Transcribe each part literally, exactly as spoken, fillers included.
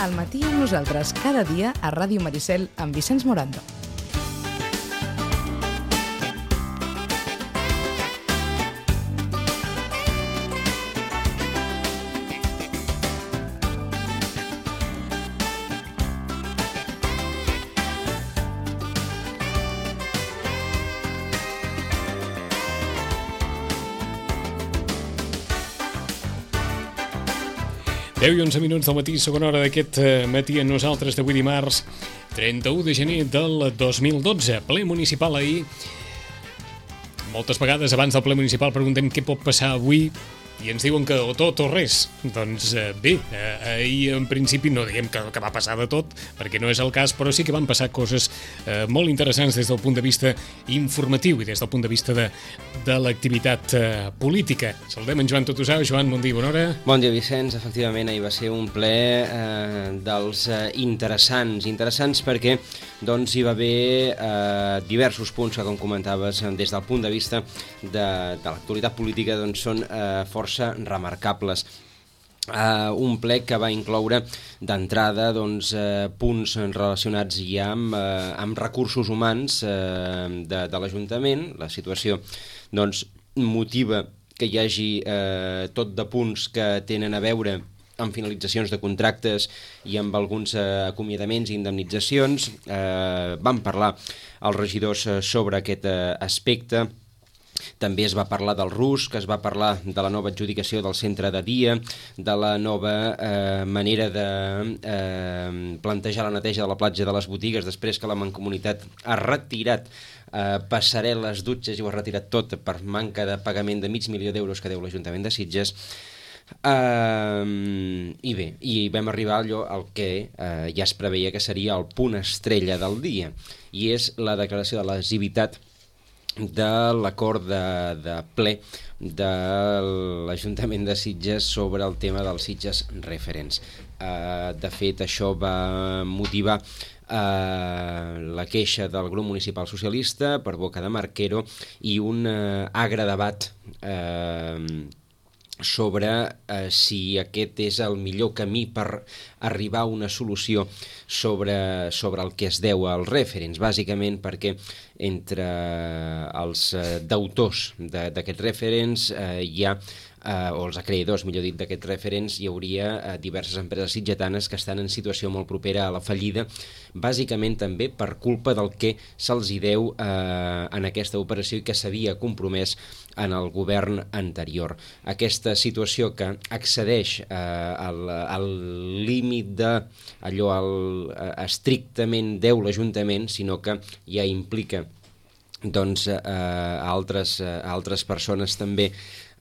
Al matí amb nosaltres cada dia a Ràdio Maricel amb Vicenç Morando. deu i onze minuts del matí, segona hora d'aquest matí amb nosaltres d'avui dimarts, trenta-u de gener del dos mil dotze, ple municipal ahir. Moltes vegades abans del ple municipal preguntem què pot passar avui i ens diuen que o tot o res. Doncs bé, ahir en principi no diguem que, que va passar de tot, perquè no és el cas, però sí que van passar coses eh, molt interessants des del punt de vista informatiu i des del punt de vista de, de l'activitat eh, política. Saludem en Joan Totosau. Joan, bon dia, bona hora. Bon dia, Vicenç. Efectivament, ahir va ser un ple eh, dels eh, interessants. Interessants perquè doncs, hi va haver eh, diversos punts que, com comentaves, des del punt de vista de, de l'actualitat política, doncs, són eh, força remarcables. Uh, un ple que va incloure d'entrada doncs, uh, punts relacionats ja amb, uh, amb recursos humans uh, de, de l'Ajuntament. La situació doncs, motiva que hi hagi uh, tot de punts que tenen a veure amb finalitzacions de contractes i amb alguns uh, acomiadaments i indemnitzacions. Uh, vam parlar els regidors uh, sobre aquest uh, aspecte. També es va parlar del RUS, que es va parlar de la nova adjudicació del centre de dia, de la nova eh, manera de eh, plantejar la neteja de la platja de les botigues després que la Mancomunitat ha retirat eh, passarel·les, dutxes i ho ha retirat tot per manca de pagament de mig milió d'euros que deu l'Ajuntament de Sitges. Uh, i bé, i vam arribar allò al que uh, ja es preveia que seria el punt estrella del dia, i és la declaració de lesivitat de l'acord de, de ple de l'Ajuntament de Sitges sobre el tema dels Sitges Referents. Uh, de fet, això va motivar uh, la queixa del grup municipal socialista per boca de Marquero i un uh, agre debat uh, sobre eh, si aquest és el millor camí per arribar a una solució sobre, sobre el que es deu als referents, bàsicament perquè entre els eh, deutors d'aquests referents eh, hi ha eh, o els acreïdors, millor dit, d'aquests referents, hi hauria eh, diverses empreses sitgetanes que estan en situació molt propera a la fallida, bàsicament també per culpa del que se'ls hi deu eh, en aquesta operació i que s'havia compromès en el govern anterior. Aquesta situació que excedeix eh, al, al límit de allò al, eh, estrictament deu l'Ajuntament, sinó que ja implica doncs, eh, altres, eh, altres persones també.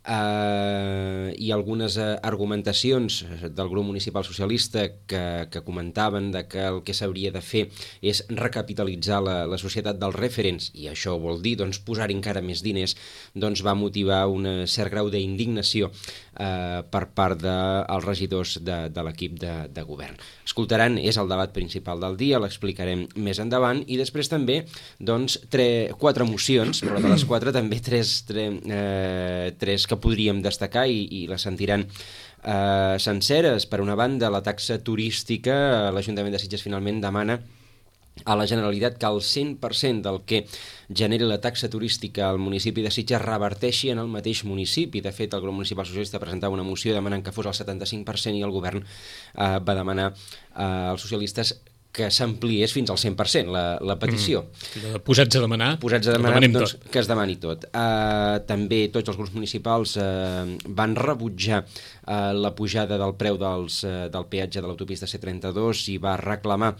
Uh, i algunes uh, argumentacions del grup municipal socialista que, que comentaven de que el que s'hauria de fer és recapitalitzar la, la societat dels referents, i això vol dir doncs, posar-hi encara més diners, doncs va motivar un cert grau d'indignació uh, per part dels regidors de, de l'equip de, de govern. Escoltaran, és el debat principal del dia, l'explicarem més endavant, i després també doncs, tre, quatre mocions, però de les quatre també tres, tre, eh, tres que podríem destacar i, i les sentiran eh, senceres. Per una banda, la taxa turística, l'Ajuntament de Sitges finalment demana a la Generalitat que el cent per cent del que generi la taxa turística al municipi de Sitges reverteixi en el mateix municipi. De fet, el grup municipal socialista presentava una moció demanant que fos el setanta-cinc per cent i el govern eh, va demanar eh, als socialistes que s'ampliés fins al cent per cent la, la petició. Mm. Posats a demanar, Posats a demanar doncs, que es demani tot. Uh, també tots els grups municipals uh, van rebutjar uh, la pujada del preu dels, uh, del peatge de l'autopista C trenta-dos i va reclamar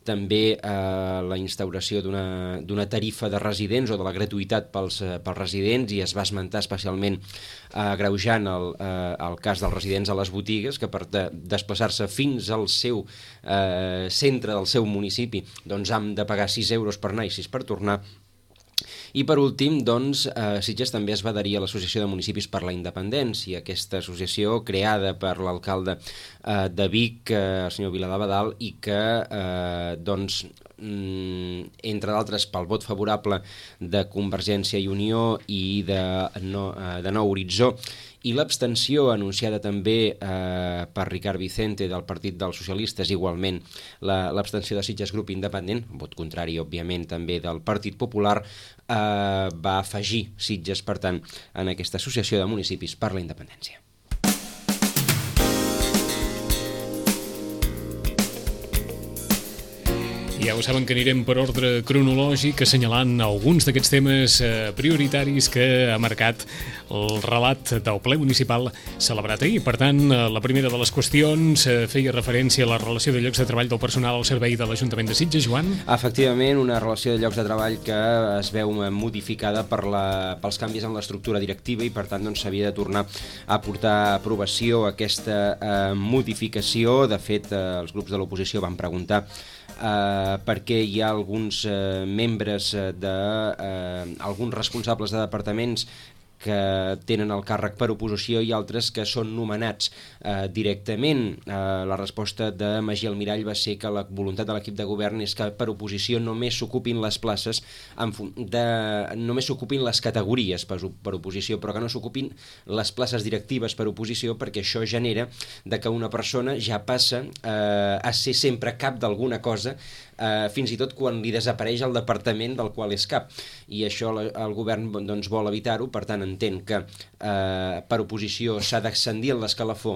també uh, la instauració d'una d'una tarifa de residents o de la gratuïtat pels, uh, pels residents, i es va esmentar especialment agreujant uh, el, uh, el cas dels residents a les botigues, que per de, desplaçar-se fins al seu uh, centre del seu municipi doncs han de pagar sis euros per anar i sis per tornar. I per últim, doncs, eh, Sitges també es va adherir a l'Associació de Municipis per la Independència, aquesta associació creada per l'alcalde eh, de Vic, eh, el senyor Viladabadal, i que eh, doncs, entre d'altres pel vot favorable de Convergència i Unió i de, no, de Nou Horitzó, i l'abstenció anunciada també eh, per Ricard Vicente del Partit dels Socialistes, igualment l'abstenció de Sitges Grup Independent, vot contrari, òbviament, també del Partit Popular, eh, va afegir Sitges, per tant, en aquesta associació de municipis per la independència. Ja ho saben que anirem per ordre cronològic, assenyalant alguns d'aquests temes eh, prioritaris que ha marcat el relat del ple municipal celebrat ahir. Per tant, la primera de les qüestions eh, feia referència a la relació de llocs de treball del personal al servei de l'Ajuntament de Sitges, Joan. Efectivament, una relació de llocs de treball que es veu modificada per la, pels canvis en l'estructura directiva i, per tant, doncs, s'havia de tornar a portar a aprovació aquesta eh, modificació. De fet, eh, els grups de l'oposició van preguntar Uh, perquè hi ha alguns uh, membres uh, de uh, alguns responsables de departaments que tenen el càrrec per oposició i altres que són nomenats eh, directament. Eh, la resposta de Magí Almirall va ser que la voluntat de l'equip de govern és que per oposició només s'ocupin les places, en de, només s'ocupin les categories per, per oposició, però que no s'ocupin les places directives per oposició, perquè això genera de que una persona ja passa eh, a ser sempre cap d'alguna cosa, eh, fins i tot quan li desapareix el departament del qual és cap. I això la, el govern doncs, vol evitar-ho, per tant entén que eh, per oposició s'ha d'ascendir en l'escalafó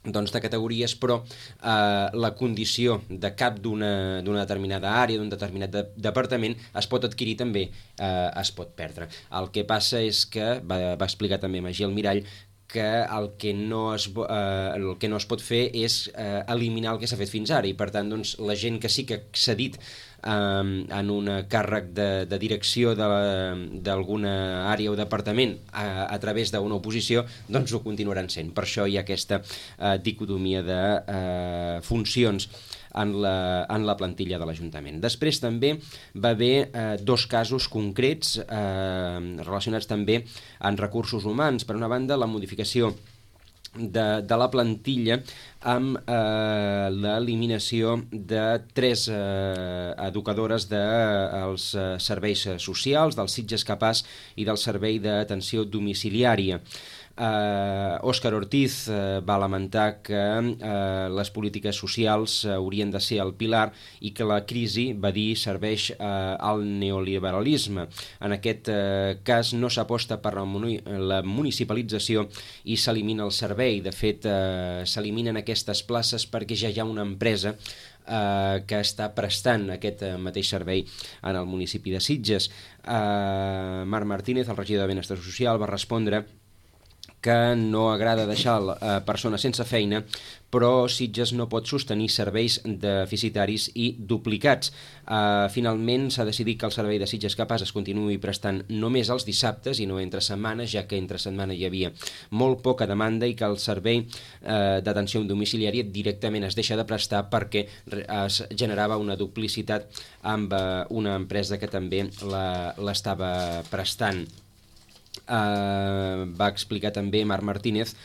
doncs, de categories, però eh, la condició de cap d'una d'una determinada àrea, d'un determinat de, departament, es pot adquirir també, eh, es pot perdre. El que passa és que, va, va explicar també Magí Almirall, que el que no es, eh, el que no es pot fer és eh, eliminar el que s'ha fet fins ara, i per tant doncs, la gent que sí que ha accedit eh, en un càrrec de, de direcció d'alguna àrea o departament a, a través d'una oposició, doncs ho continuaran sent. Per això hi ha aquesta eh, dicotomia de eh, funcions en la, en la plantilla de l'Ajuntament. Després també va haver eh, dos casos concrets eh, relacionats també amb recursos humans. Per una banda, la modificació de, de la plantilla amb eh, l'eliminació de tres eh, educadores dels de, eh, serveis socials, del Sitges Capaç i del Servei d'Atenció Domiciliària. Uh, Òscar Ortiz uh, va lamentar que uh, les polítiques socials uh, haurien de ser el pilar i que la crisi, va dir, serveix uh, al neoliberalisme. En aquest uh, cas no s'aposta per la, muni la municipalització i s'elimina el servei. De fet, uh, s'eliminen aquestes places perquè ja hi ha una empresa Uh, que està prestant aquest uh, mateix servei en el municipi de Sitges. Uh, Marc Martínez, el regidor de Benestar Social, va respondre que no agrada deixar uh, persones sense feina, però Sitges no pot sostenir serveis deficitaris i duplicats. Uh, finalment s'ha decidit que el servei de Sitges Capaç es continuï prestant només els dissabtes i no entre setmanes, ja que entre setmana hi havia molt poca demanda, i que el servei uh, d'atenció domiciliària directament es deixa de prestar perquè es generava una duplicitat amb uh, una empresa que també l'estava prestant. Uh, va explicar també Marc Martínez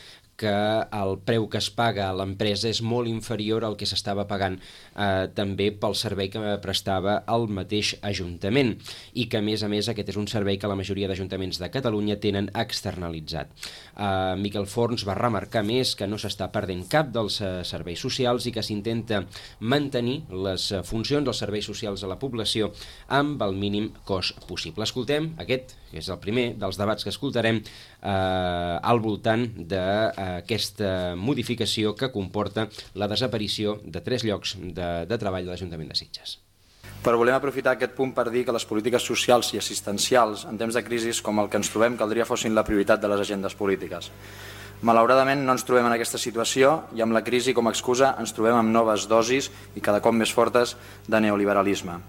que el preu que es paga a l'empresa és molt inferior al que s'estava pagant eh, també pel servei que prestava el mateix Ajuntament, i que a més a més aquest és un servei que la majoria d'ajuntaments de Catalunya tenen externalitzat. Eh, Miquel Forns va remarcar més que no s'està perdent cap dels eh, serveis socials i que s'intenta mantenir les funcions dels serveis socials a la població amb el mínim cost possible. Escoltem aquest, que és el primer dels debats que escoltarem eh, al voltant de eh, aquesta modificació que comporta la desaparició de tres llocs de, de treball de l'Ajuntament de Sitges. Però volem aprofitar aquest punt per dir que les polítiques socials i assistencials en temps de crisi com el que ens trobem caldria fossin la prioritat de les agendes polítiques. Malauradament no ens trobem en aquesta situació i amb la crisi com a excusa ens trobem amb noves dosis i cada cop més fortes de neoliberalisme.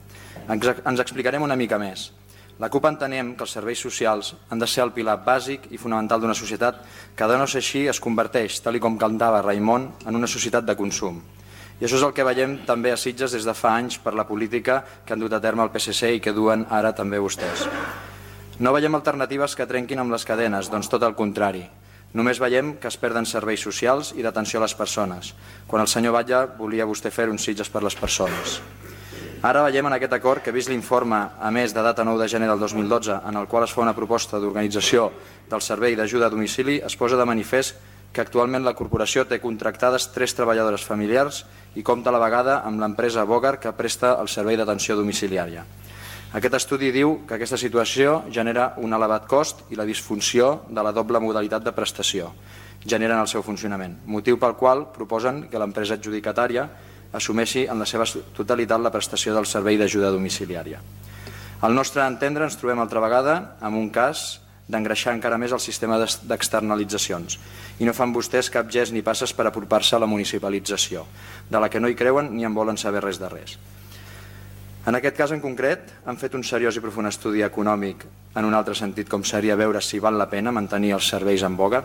Ens, ens explicarem una mica més. La CUP entenem que els serveis socials han de ser el pilar bàsic i fonamental d'una societat que, de no ser així, es converteix, tal com cantava Raimon, en una societat de consum. I això és el que veiem també a Sitges des de fa anys per la política que han dut a terme el P S C i que duen ara també vostès. No veiem alternatives que trenquin amb les cadenes, doncs tot el contrari. Només veiem que es perden serveis socials i d'atenció a les persones, quan el senyor Batlle volia vostè fer un Sitges per les persones. Ara veiem en aquest acord que, vist l'informe a més de data nou de gener del dos mil dotze, en el qual es fa una proposta d'organització del servei d'ajuda a domicili, es posa de manifest que actualment la corporació té contractades tres treballadores familiars i compta a la vegada amb l'empresa Bogar que presta el servei d'atenció domiciliària. Aquest estudi diu que aquesta situació genera un elevat cost i la disfunció de la doble modalitat de prestació generen el seu funcionament, motiu pel qual proposen que l'empresa adjudicatària assumeixi en la seva totalitat la prestació del servei d'ajuda domiciliària. Al nostre entendre ens trobem altra vegada amb un cas d'engreixar encara més el sistema d'externalitzacions i no fan vostès cap gest ni passes per apropar-se a la municipalització, de la que no hi creuen ni en volen saber res de res. En aquest cas en concret han fet un seriós i profund estudi econòmic en un altre sentit, com seria veure si val la pena mantenir els serveis en Bogar.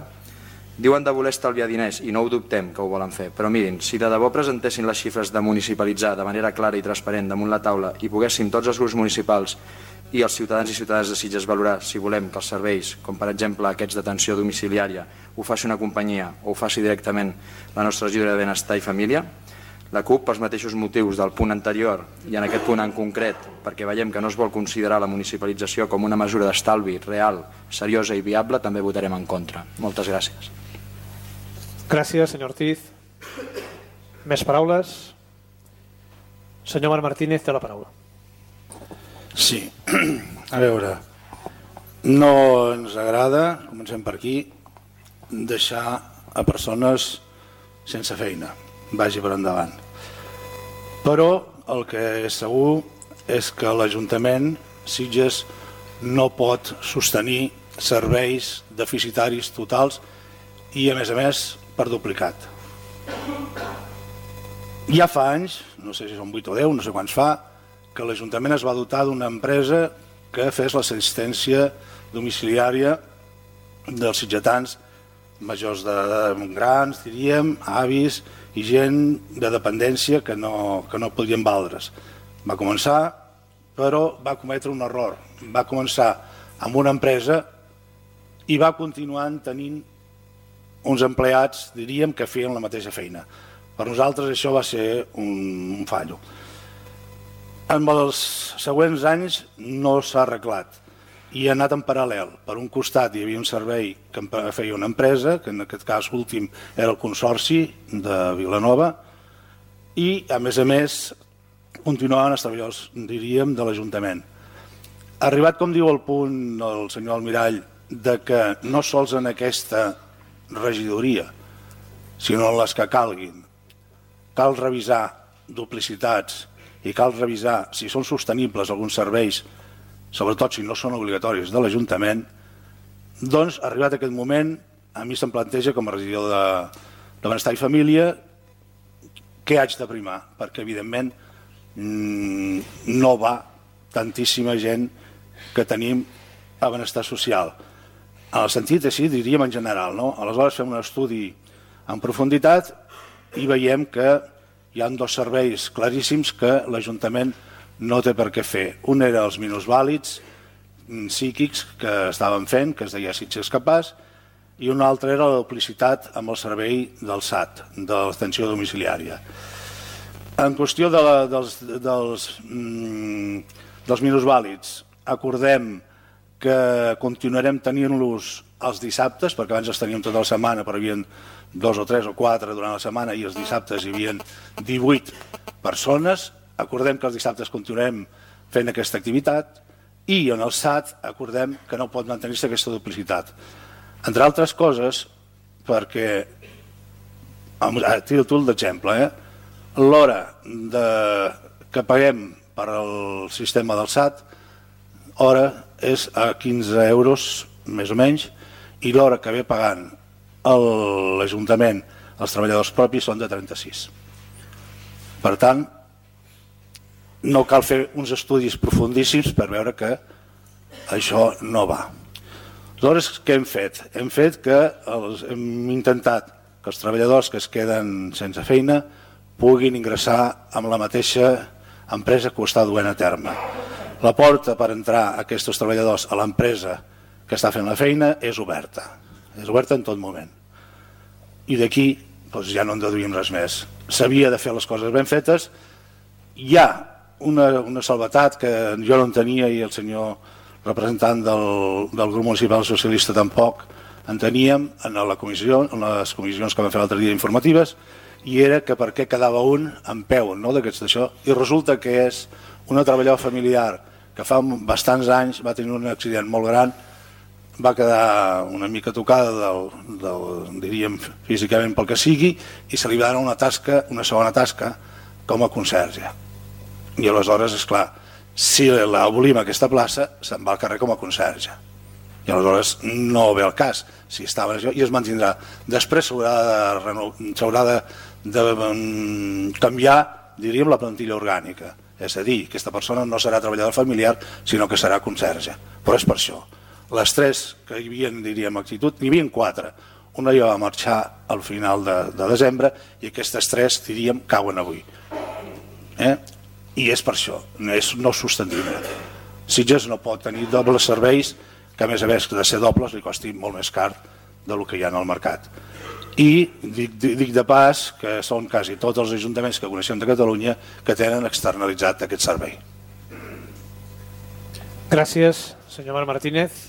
Diuen de voler estalviar diners i no ho dubtem que ho volen fer, però mirin, si de debò presentessin les xifres de municipalitzar de manera clara i transparent damunt la taula i poguessin tots els grups municipals i els ciutadans i ciutadanes de Sitges valorar si volem que els serveis, com per exemple aquests d'atenció domiciliària, ho faci una companyia o ho faci directament la nostra regidora de Benestar i Família, la CUP, pels mateixos motius del punt anterior i en aquest punt en concret, perquè veiem que no es vol considerar la municipalització com una mesura d'estalvi real, seriosa i viable, també votarem en contra. Moltes gràcies. Gràcies, senyor Ortiz. Més paraules? Senyor Marc Martínez té la paraula. Sí, a veure, no ens agrada, comencem per aquí, deixar a persones sense feina, vagi per endavant. Però el que és segur és que l'Ajuntament Sitges no pot sostenir serveis deficitaris totals i, a més a més, per duplicat. Ja fa anys, no sé si són vuit o deu, no sé quants fa, que l'Ajuntament es va dotar d'una empresa que fes l'assistència domiciliària dels sitgetans majors de, de grans, diríem, avis i gent de dependència que no, que no podien valdre's. Va començar, però va cometre un error. Va començar amb una empresa i va continuar tenint uns empleats, diríem, que feien la mateixa feina. Per nosaltres això va ser un, un fallo. En els següents anys no s'ha arreglat i ha anat en paral·lel. Per un costat hi havia un servei que feia una empresa, que en aquest cas últim era el Consorci de Vilanova, i a més a més continuaven els treballadors, diríem, de l'Ajuntament. Arribat, com diu el punt el senyor Almirall, de que no sols en aquesta regidoria, sinó en les que calguin, cal revisar duplicitats i cal revisar si són sostenibles alguns serveis, sobretot si no són obligatoris de l'Ajuntament, doncs, arribat aquest moment, a mi se'm planteja com a regidor de, de Benestar i Família què haig de primar, perquè evidentment no va tantíssima gent que tenim a Benestar Social. En el sentit així, diríem en general, no? Aleshores fem un estudi en profunditat i veiem que hi ha dos serveis claríssims que l'Ajuntament no té per què fer. Un era els minusvàlids psíquics que estaven fent, que es deia Sitges Capaç, i un altre era la duplicitat amb el servei del S A T, de l'atenció domiciliària. En qüestió de la, dels, dels, mm, dels minusvàlids, acordem que continuarem tenint-los els dissabtes, perquè abans els teníem tota la setmana, però hi havia dos o tres o quatre durant la setmana i els dissabtes hi havia divuit persones. Acordem que els dissabtes continuarem fent aquesta activitat i en el S A T acordem que no pot mantenir-se aquesta duplicitat. Entre altres coses, perquè, a títol d'exemple, eh, l'hora que paguem per al sistema del S A T, hora és a quinze euros, més o menys, i l'hora que ve pagant l'Ajuntament, els treballadors propis, són de trenta-sis. Per tant, no cal fer uns estudis profundíssims per veure que això no va. Aleshores, què hem fet? Hem fet que els, hem intentat que els treballadors que es queden sense feina puguin ingressar amb la mateixa empresa que ho està duent a terme. La porta per entrar aquests treballadors a l'empresa que està fent la feina és oberta. És oberta en tot moment. I d'aquí doncs, ja no en deduïm res més. S'havia de fer les coses ben fetes. Hi ha una, una salvetat que jo no en tenia i el senyor representant del, del grup municipal socialista tampoc en teníem en, la comissió, en les comissions que vam fer l'altre dia informatives, i era que per què quedava un en peu, no, d'aquests d'això, i resulta que és una treballadora familiar que fa bastants anys va tenir un accident molt gran, va quedar una mica tocada del, del, diríem físicament pel que sigui, i se li va donar una tasca, una segona tasca com a conserge. I aleshores, és clar, si l'abolim aquesta plaça, se'n va al carrer com a conserge. I aleshores no ve el cas, si estava això, i es mantindrà. Després s'haurà de, s'haurà de, de canviar, diríem, la plantilla orgànica. És a dir, aquesta persona no serà treballador familiar, sinó que serà conserge. Però és per això. Les tres que hi havia, diríem, actitud, n'hi havia quatre. Una ja va marxar al final de, de desembre i aquestes tres, diríem, cauen avui. Eh? I és per això, no és no sostenible. Sitges no pot tenir dobles serveis, que a més a més de ser dobles li costi molt més car del que hi ha en el mercat. I dic, dic de pas que són quasi tots els ajuntaments que coneixem de Catalunya que tenen externalitzat aquest servei. Gràcies, senyor Marc Martínez.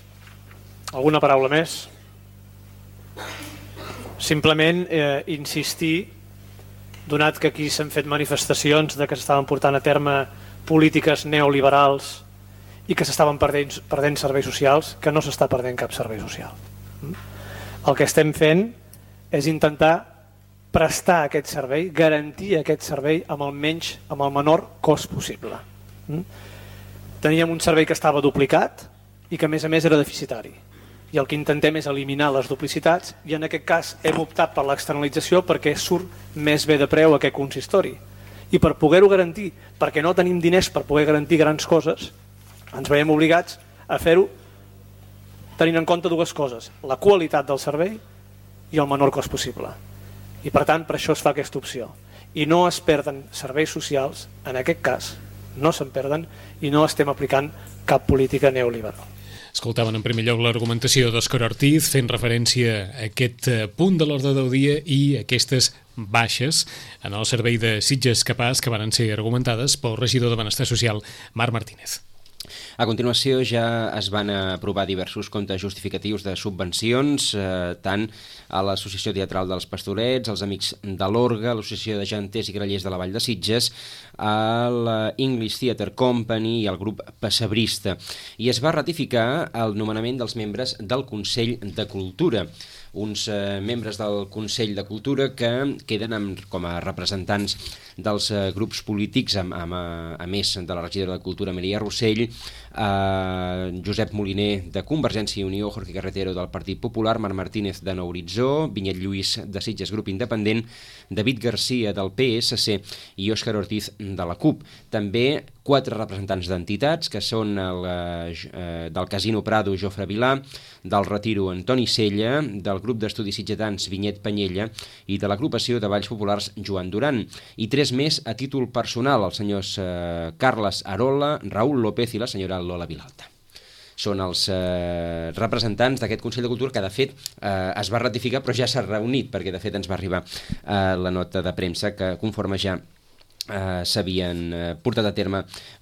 Alguna paraula més? Simplement eh, insistir, donat que aquí s'han fet manifestacions de que s'estaven portant a terme polítiques neoliberals i que s'estaven perdent, perdent serveis socials, que no s'està perdent cap servei social. El que estem fent és intentar prestar aquest servei, garantir aquest servei amb el menys, amb el menor cost possible. Teníem un servei que estava duplicat i que a més a més era deficitari. I el que intentem és eliminar les duplicitats i en aquest cas hem optat per l'externalització perquè surt més bé de preu aquest consistori. I per poder-ho garantir, perquè no tenim diners per poder garantir grans coses, ens veiem obligats a fer-ho tenint en compte dues coses, la qualitat del servei i el menor cost possible. I per tant, per això es fa aquesta opció. I no es perden serveis socials, en aquest cas, no se'n perden i no estem aplicant cap política neoliberal. Escoltaven en primer lloc l'argumentació d'Òscar Ortiz fent referència a aquest punt de l'ordre del dia i aquestes baixes en el servei de Sitges Capaç que van ser argumentades pel regidor de Benestar Social, Marc Martínez. A continuació ja es van aprovar diversos comptes justificatius de subvencions, eh, tant a l'Associació Teatral dels Pastorets, als Amics de l'Orga, a l'Associació de Janters i Grallers de la Vall de Sitges, a l'English Theatre Company i al grup Pessebrista. I es va ratificar el nomenament dels membres del Consell de Cultura, uns eh, membres del Consell de Cultura que queden amb, com a representants dels eh, grups polítics, amb, amb, a, a més de la regidora de Cultura Maria Rossell, eh, Josep Moliner de Convergència i Unió, Jorge Carretero del Partit Popular, Marc Martínez de Nou Horitzó, Vinyet Lluís de Sitges Grup Independent, David Garcia del P S C i Òscar Ortiz de la CUP. També quatre representants d'entitats, que són el, eh, del Casino Prado, Jofre Vilà, del Retiro, Antoni Sella, del grup d'estudis sitgetans, Vinyet Panyella, i de l'agrupació de Valls Populars, Joan Duran. I tres més a títol personal, els senyors eh, Carles Arola, Raül López i la senyora Lola Vilalta. Són els eh, representants d'aquest Consell de Cultura que, de fet, eh, es va ratificar, però ja s'ha reunit, perquè, de fet, ens va arribar eh, la nota de premsa que, conforme ja Uh, s'havien uh, portat a terme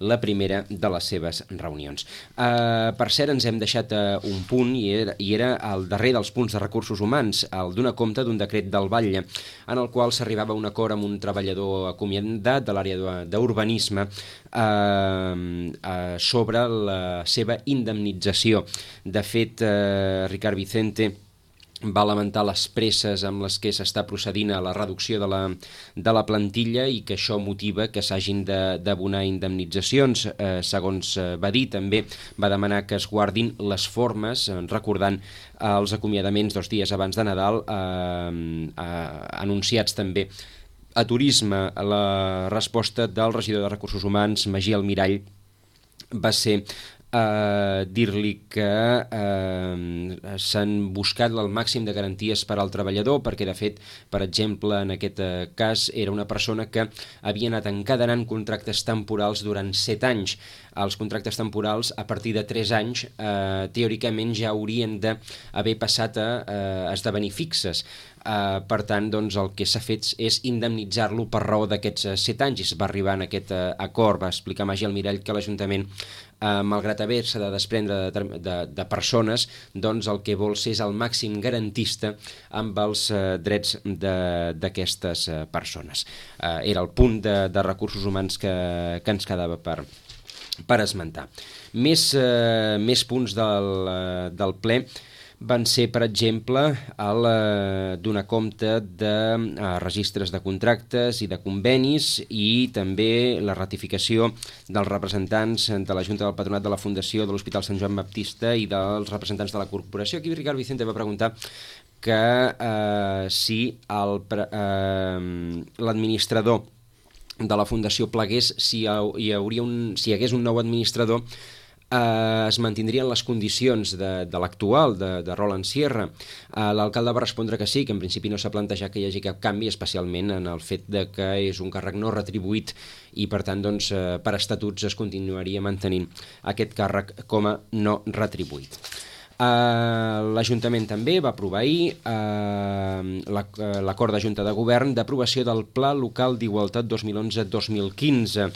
la primera de les seves reunions. Uh, per cert, ens hem deixat uh, un punt i era, i era el darrer dels punts de recursos humans, el donar compte d'un decret del Batlle, en el qual s'arribava a un acord amb un treballador acomiadat de l'àrea d'urbanisme uh, uh, sobre la seva indemnització. De fet, uh, Ricard Vicente va lamentar les presses amb les que s'està procedint a la reducció de la, de la plantilla i que això motiva que s'hagin d'abonar indemnitzacions. Eh, segons eh, va dir, també va demanar que es guardin les formes, eh, recordant eh, els acomiadaments dos dies abans de Nadal, eh, eh, anunciats també a Turisme. La resposta del regidor de Recursos Humans, Magí Almirall, va ser Uh, dir-li que uh, s'han buscat el màxim de garanties per al treballador, perquè de fet, per exemple, en aquest uh, cas era una persona que havia anat encadenant contractes temporals durant set anys. Els contractes temporals a partir de tres anys uh, teòricament ja haurien d'haver passat a uh, esdevenir fixes. Uh, per tant, doncs, el que s'ha fet és indemnitzar-lo per raó d'aquests uh, set anys, i es va arribar en aquest uh, acord. Va explicar Magí Almirall que l'Ajuntament, uh, malgrat haver-se de desprendre de, de, de persones, doncs el que vol ser és el màxim garantista amb els uh, drets d'aquestes uh, persones. Uh, era el punt de, de recursos humans que, que ens quedava per, per esmentar. Més, uh, més punts del, uh, del ple van ser, per exemple, el eh, donar compte de eh, registres de contractes i de convenis, i també la ratificació dels representants de la Junta del Patronat de la Fundació de l'Hospital Sant Joan Baptista i dels representants de la corporació. Aquí Ricard Vicente va preguntar que eh, si el, eh, l'administrador de la Fundació plegués, si hi, hauria un, si hi hagués un nou administrador, Uh, es mantindrien les condicions de, de l'actual, de, de Roland Sierra. Uh, l'alcalde va respondre que sí, que en principi no s'ha plantejat que hi hagi cap canvi, especialment en el fet de que és un càrrec no retribuït i, per tant, doncs, uh, per estatuts es continuaria mantenint aquest càrrec com a no retribuït. Uh, L'Ajuntament també va aprovar ahir uh, l'acord de Junta de Govern d'aprovació del Pla Local d'Igualtat dos mil onze dos mil quinze.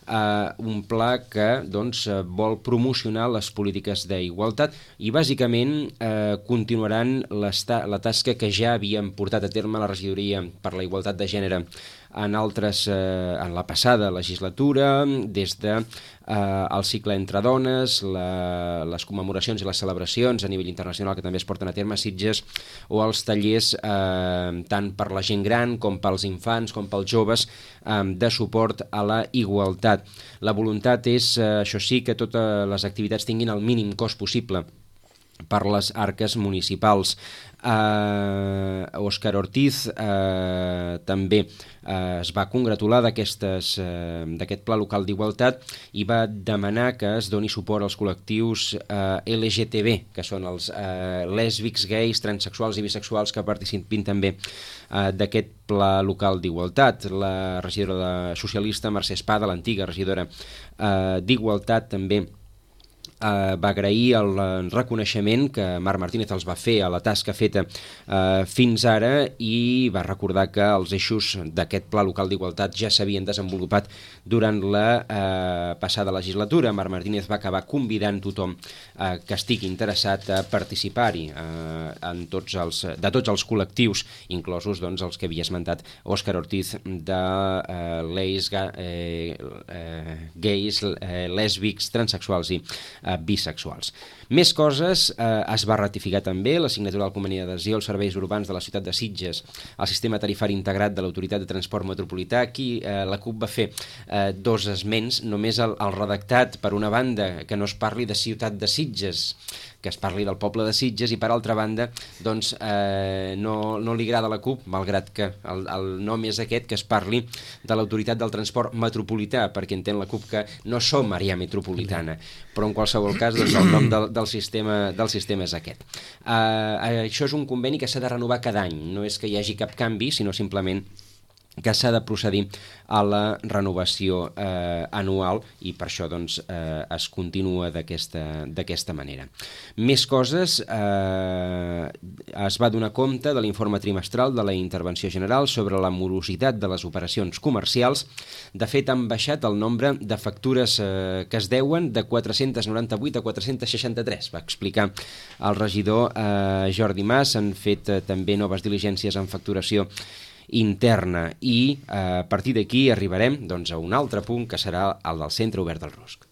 Uh, un pla que doncs, uh, vol promocionar les polítiques d'igualtat i bàsicament uh, continuaran la tasca que ja havien portat a terme la Regidoria per la Igualtat de Gènere en altres, eh, en la passada legislatura, des de eh, el cicle entre dones, la, les commemoracions i les celebracions a nivell internacional que també es porten a terme a Sitges, o els tallers eh, tant per la gent gran com pels infants com pels joves eh, de suport a la igualtat. La voluntat és, eh, això sí, que totes les activitats tinguin el mínim cost possible per les arques municipals. Uh, Òscar Ortiz uh, també uh, es va congratular d'aquestes uh, d'aquest pla local d'igualtat i va demanar que es doni suport als col·lectius uh, L G T B, que són els uh, lèsbics, gais, transexuals i bisexuals que participin també uh, d'aquest pla local d'igualtat. La regidora de socialista Mercè Espada, l'antiga regidora uh, d'Igualtat, també Uh, va agrair el uh, reconeixement que Marc Martínez els va fer a la tasca feta uh, fins ara, i va recordar que els eixos d'aquest pla local d'igualtat ja s'havien desenvolupat durant la uh, passada legislatura. Marc Martínez va acabar convidant tothom uh, que estigui interessat a participar-hi uh, en tots els, de tots els col·lectius, inclosos doncs, els que havia esmentat Òscar Ortiz, de uh, leis, ga, eh, eh, gais, eh, lèsbics, transexuals i bisexuals. Més coses, eh, es va ratificar també la signatura del conveni d'adhesió als serveis urbans de la ciutat de Sitges al sistema tarifari integrat de l'Autoritat de Transport Metropolità. Aquí eh, la CUP va fer eh, dos esments, només el, el redactat, per una banda, que no es parli de ciutat de Sitges, que es parli del poble de Sitges, i per altra banda doncs, eh, no, no li agrada a la CUP, malgrat que el, el nom és aquest, que es parli de l'Autoritat del Transport Metropolità, perquè entén la CUP que no som àrea metropolitana, però en qualsevol cas doncs, el nom del, del, sistema, del sistema és aquest. Eh, això és un conveni que s'ha de renovar cada any, no és que hi hagi cap canvi, sinó simplement que s'ha de procedir a la renovació eh, anual, i per això doncs, eh, es continua d'aquesta manera. Més coses, eh, es va donar compte de l'informe trimestral de la Intervenció General sobre la morositat de les operacions comercials. De fet, han baixat el nombre de factures eh, que es deuen de quatre-cents noranta-vuit a quatre-cents seixanta-tres, va explicar el regidor eh, Jordi Mas. Han fet eh, també noves diligències en facturació interna, i eh, a partir d'aquí arribarem doncs, a un altre punt, que serà el del Centre Obert del Rusc.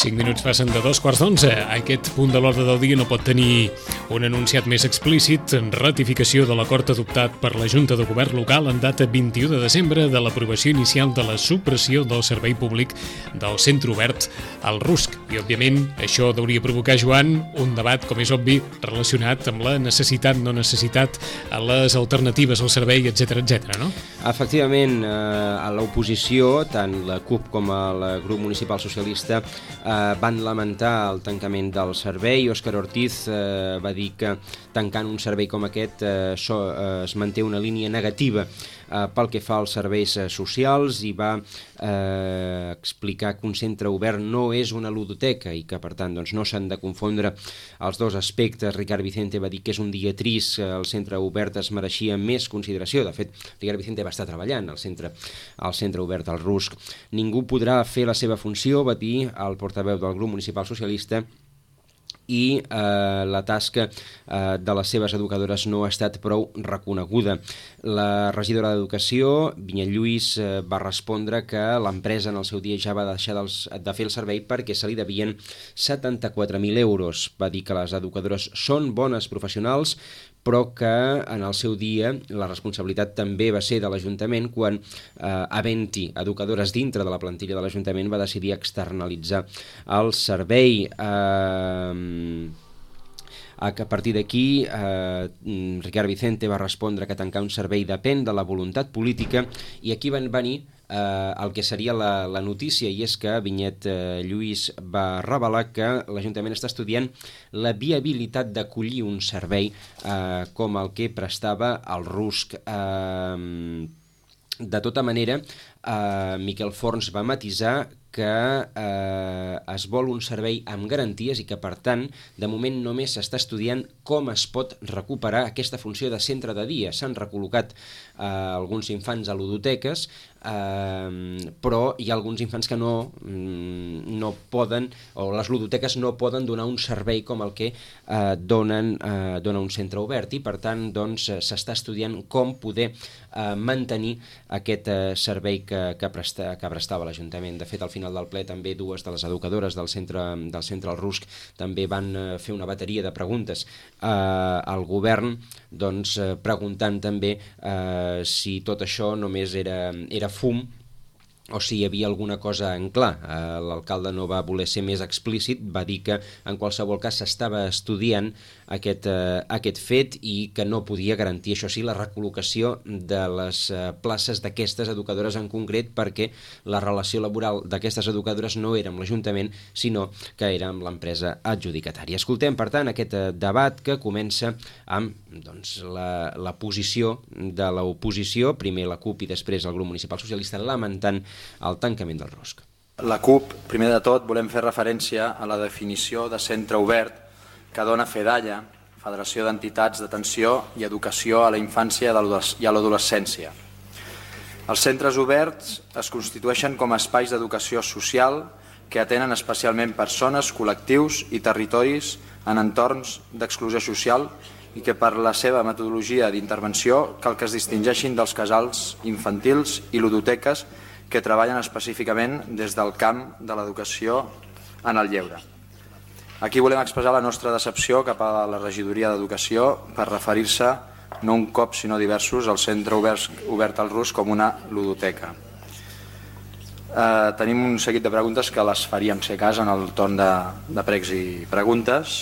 cinc minuts passen de dos quarts d'onze. Aquest punt de l'ordre del dia no pot tenir un enunciat més explícit: en ratificació de l'acord adoptat per la Junta de Govern local en data vint-i-u de desembre de l'aprovació inicial de la supressió del servei públic del Centre Obert al Rusc. I, òbviament, això hauria provocar, Joan, un debat, com és obvi, relacionat amb la necessitat, no necessitat, a les alternatives al servei, etcètera, etcètera, no? Efectivament, eh, a l'oposició, tant la CUP com el grup municipal socialista eh, van lamentar el tancament del servei. Òscar Ortiz eh, va dir que tancant un servei com aquest eh, so, eh, es manté una línia negativa eh, pel que fa als serveis eh, socials i va eh, explicar que un centre obert no és una ludoteca i que per tant doncs, no s'han de confondre els dos aspectes. Ricard Vicente va dir que és un dia trist, el centre obert es mereixia més consideració. De fet, Ricard Vicente va estar treballant al centre, al centre obert al Rusc. Ningú podrà fer la seva funció, va dir el portaveu del grup municipal socialista, i eh, la tasca eh, de les seves educadores no ha estat prou reconeguda. La regidora d'Educació, Vinyet Lluís, eh, va respondre que l'empresa en el seu dia ja va deixar dels, de fer el servei perquè se li devien setanta-quatre mil euros. Va dir que les educadores són bones professionals, però que en el seu dia la responsabilitat també va ser de l'Ajuntament quan, eh, havent-hi educadores dintre de la plantilla de l'Ajuntament, va decidir externalitzar el servei. Eh, a partir d'aquí, eh, Ricard Vicente va respondre que tancar un servei depèn de la voluntat política, i aquí van venir Eh, el que seria la, la notícia, i és que Vinyet eh, Lluís va revelar que l'Ajuntament està estudiant la viabilitat d'acollir un servei eh, com el que prestava el Rusc. Eh, de tota manera, eh, Miquel Forns va matisar que eh, es vol un servei amb garanties i que, per tant, de moment només s'està estudiant com es pot recuperar aquesta funció de centre de dia. S'han recol·locat eh, alguns infants a ludoteques, eh, però hi ha alguns infants que no, no poden, o les ludoteques no poden donar un servei com el que eh, donen, eh, dona un centre obert, i per tant doncs, s'està estudiant com poder eh, mantenir aquest eh, servei que, que, presta, que prestava l'Ajuntament. De fet, al final del ple també dues de les educadores del centre, del centre al Rusc també van eh, fer una bateria de preguntes eh, al govern, doncs, eh, preguntant també eh, si tot això només era, era fum o si hi havia alguna cosa en clar. Eh, l'alcalde no va voler ser més explícit, va dir que en qualsevol cas s'estava estudiant aquest, eh, aquest fet i que no podia garantir, això sí, la recol·locació de les eh, places d'aquestes educadores en concret, perquè la relació laboral d'aquestes educadores no era amb l'Ajuntament, sinó que era amb l'empresa adjudicatària. Escoltem, per tant, aquest eh, debat que comença amb doncs, la, la posició de l'oposició, primer la CUP i després el grup municipal socialista, lamentant el tancament del Rusc. La CUP, primer de tot, volem fer referència a la definició de centre obert que dona FEDAIA, Federació d'Entitats d'Atenció i Educació a la Infància i a l'Adolescència. Els centres oberts es constitueixen com a espais d'educació social que atenen especialment persones, col·lectius i territoris en entorns d'exclusió social i que per la seva metodologia d'intervenció cal que es distingeixin dels casals infantils i ludoteques que treballen específicament des del camp de l'educació en el lleure. Aquí volem expressar la nostra decepció cap a la regidoria d'Educació per referir-se, no un cop sinó diversos, al centre obert, obert al Rusc com una ludoteca. Eh, tenim un seguit de preguntes que les faríem, si a cas, en el torn de, de pregs i preguntes,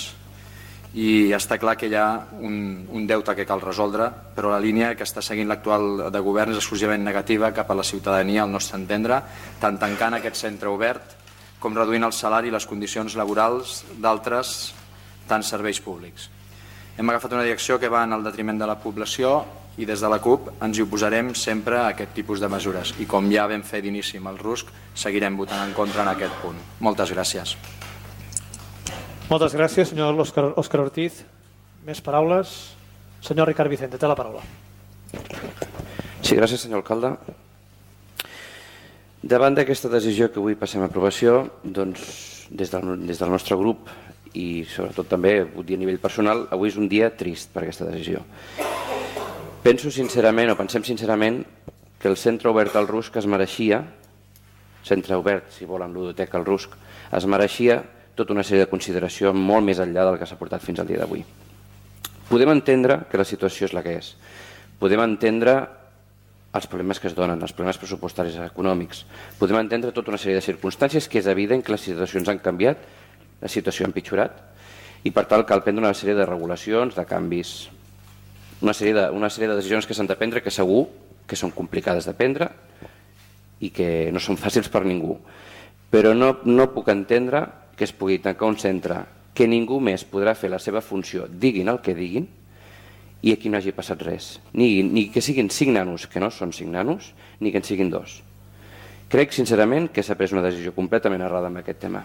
i està clar que hi ha un, un deute que cal resoldre, però la línia que està seguint l'actual de govern és exclusivament negativa cap a la ciutadania, al nostre entendre, tant tancant aquest centre obert com reduint el salari i les condicions laborals d'altres tants serveis públics. Hem agafat una direcció que va en el detriment de la població i des de la CUP ens hi oposarem sempre a aquest tipus de mesures i com ja vam fer d'inici amb el Rusc, seguirem votant en contra en aquest punt. Moltes gràcies. Moltes gràcies, senyor Òscar, Òscar Ortiz. Més paraules? Senyor Ricard Vicente, té la paraula. Sí, gràcies, senyor alcalde. Davant d'aquesta decisió que avui passem a aprovació, doncs, des del, des del nostre grup i sobretot també vull dir a nivell personal, avui és un dia trist per aquesta decisió. Penso sincerament, o pensem sincerament, que el centre obert al Rusc es mereixia, centre obert, si volen, ludoteca al Rusc, es mereixia tota una sèrie de consideració molt més enllà del que s'ha portat fins al dia d'avui. Podem entendre que la situació és la que és. Podem entendre els problemes que es donen, els problemes pressupostaris i econòmics. Podem entendre tota una sèrie de circumstàncies que és evident que les situacions han canviat, la situació ha empitjorat, i per tant cal prendre una sèrie de regulacions, de canvis, una sèrie de, una sèrie de decisions que s'han de prendre que segur que són complicades de prendre i que no són fàcils per ningú. Però no, no puc entendre que es pugui tancar un centre que ningú més podrà fer la seva funció, diguin el que diguin, i aquí no hagi passat res. Ni, ni que siguin cinc nanos, que no són cinc nanos, ni que en siguin dos. Crec, sincerament, que s'ha pres una decisió completament errada en aquest tema.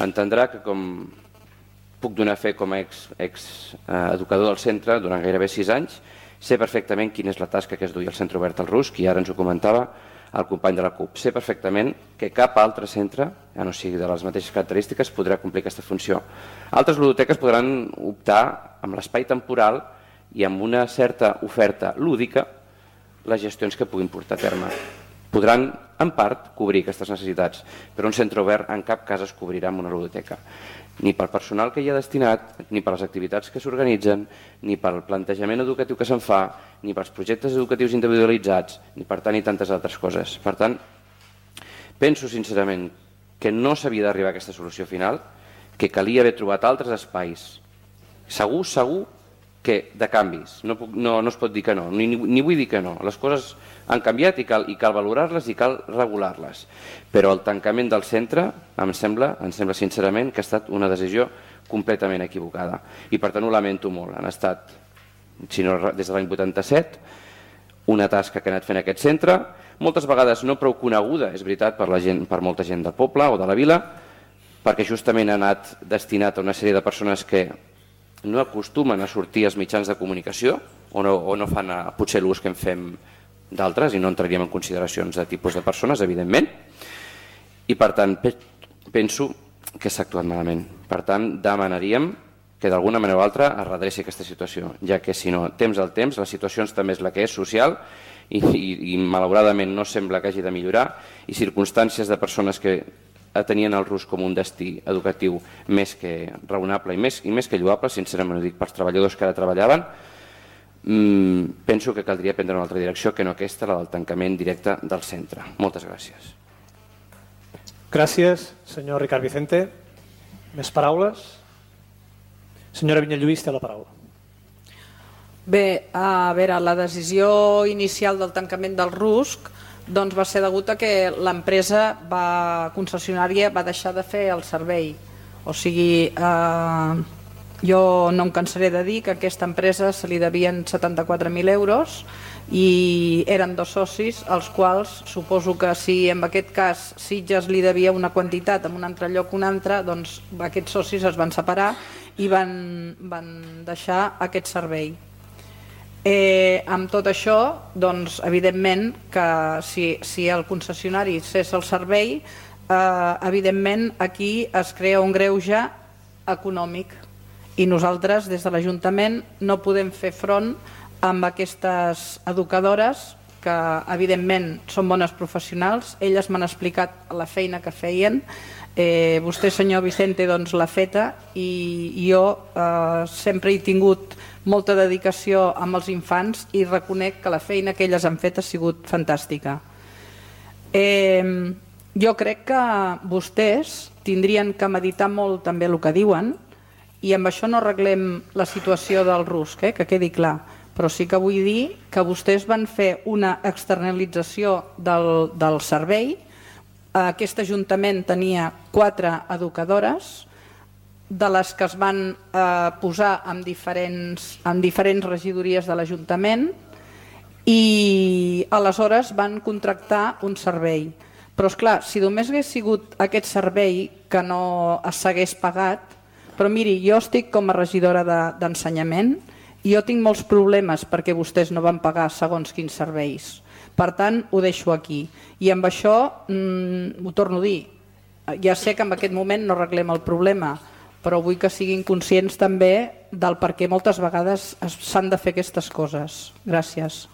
Entendrà que, com puc donar fe com a ex, ex eh, educador del centre durant gairebé sis anys, sé perfectament quina és la tasca que es duia al Centre Obert al Rusc, i ara ens ho comentava el company de la CUP. Sé perfectament que cap altre centre, ja no sigui de les mateixes característiques, podrà complir aquesta funció. Altres ludoteques podran optar amb l'espai temporal i amb una certa oferta lúdica les gestions que puguin portar a terme. Podran, en part, cobrir aquestes necessitats, però un centre obert en cap cas es cobrirà amb una ludoteca. Ni pel personal que hi ha destinat, ni per les activitats que s'organitzen, ni pel plantejament educatiu que se'n fa, ni pels projectes educatius individualitzats, ni per tant i tantes altres coses. Per tant, penso sincerament que no s'havia d'arribar a aquesta solució final, que calia haver trobat altres espais. Segur, segur que de canvis, no, puc, no, no es pot dir que no, ni, ni vull dir que no. Les coses han canviat i cal, i cal valorar-les i cal regular-les. Però el tancament del centre em sembla, em sembla sincerament que ha estat una decisió completament equivocada. I per tant ho lamento molt. Han estat, si no, des de l'any vuitanta-set, una tasca que ha anat fent aquest centre, moltes vegades no prou coneguda, és veritat, per, la gent, per molta gent del poble o de la vila, perquè justament ha anat destinat a una sèrie de persones que no acostumen a sortir als mitjans de comunicació o no, o no fan a, potser l'ús que en fem d'altres, i no entraríem en consideracions de tipus de persones, evidentment, i per tant pe penso que s'ha actuat malament. Per tant, demanaríem que d'alguna manera o altra es redreci aquesta situació, ja que si no, temps al temps, la situació també és la que és social i, i, i malauradament no sembla que hagi de millorar, i circumstàncies de persones que tenien el Rusc com un destí educatiu més que raonable i més, i més que lloable, sincerament ho dic pels treballadors que ara treballaven, mmm, penso que caldria prendre una altra direcció que no aquesta, la del tancament directe del centre. Moltes gràcies. Gràcies, senyor Ricard Vicente. Més paraules? Senyora Vinyalluís té la paraula. Bé, a veure, la decisió inicial del tancament del Rusc doncs va ser degut a que l'empresa concessionària va deixar de fer el servei. O sigui, eh, jo no em cansaré de dir que a aquesta empresa se li devien setanta-quatre mil euros i eren dos socis, els quals suposo que si en aquest cas Sitges li devia una quantitat en un altre lloc un altre, doncs aquests socis es van separar i van, van deixar aquest servei. Eh, amb tot això, doncs, evidentment que si, si el concessionari cessa el servei, eh, evidentment aquí es crea un greuge econòmic i nosaltres des de l'Ajuntament no podem fer front amb aquestes educadores que evidentment són bones professionals. Elles m'han explicat la feina que feien. Eh, vostè, senyor Vicente, doncs l'ha feta i jo eh, sempre he tingut molta dedicació amb els infants i reconec que la feina que elles han fet ha sigut fantàstica. Eh, jo crec que vostès tindrien que meditar molt també el que diuen, i amb això no arreglem la situació del Rusc, eh, que quedi clar, però sí que vull dir que vostès van fer una externalització del, del servei. Aquest Ajuntament tenia quatre educadores, de les que es van eh, posar en diferents, en diferents regidories de l'Ajuntament, i aleshores van contractar un servei. Però és clar, si només hagués sigut aquest servei que no es s'hagués pagat, però miri, jo estic com a regidora d'ensenyament i jo tinc molts problemes perquè vostès no van pagar segons quins serveis. Per tant, ho deixo aquí. I amb això, mm, ho torno a dir, ja sé que en aquest moment no arreglem el problema, però vull que siguin conscients també del per què moltes vegades s'han de fer aquestes coses. Gràcies.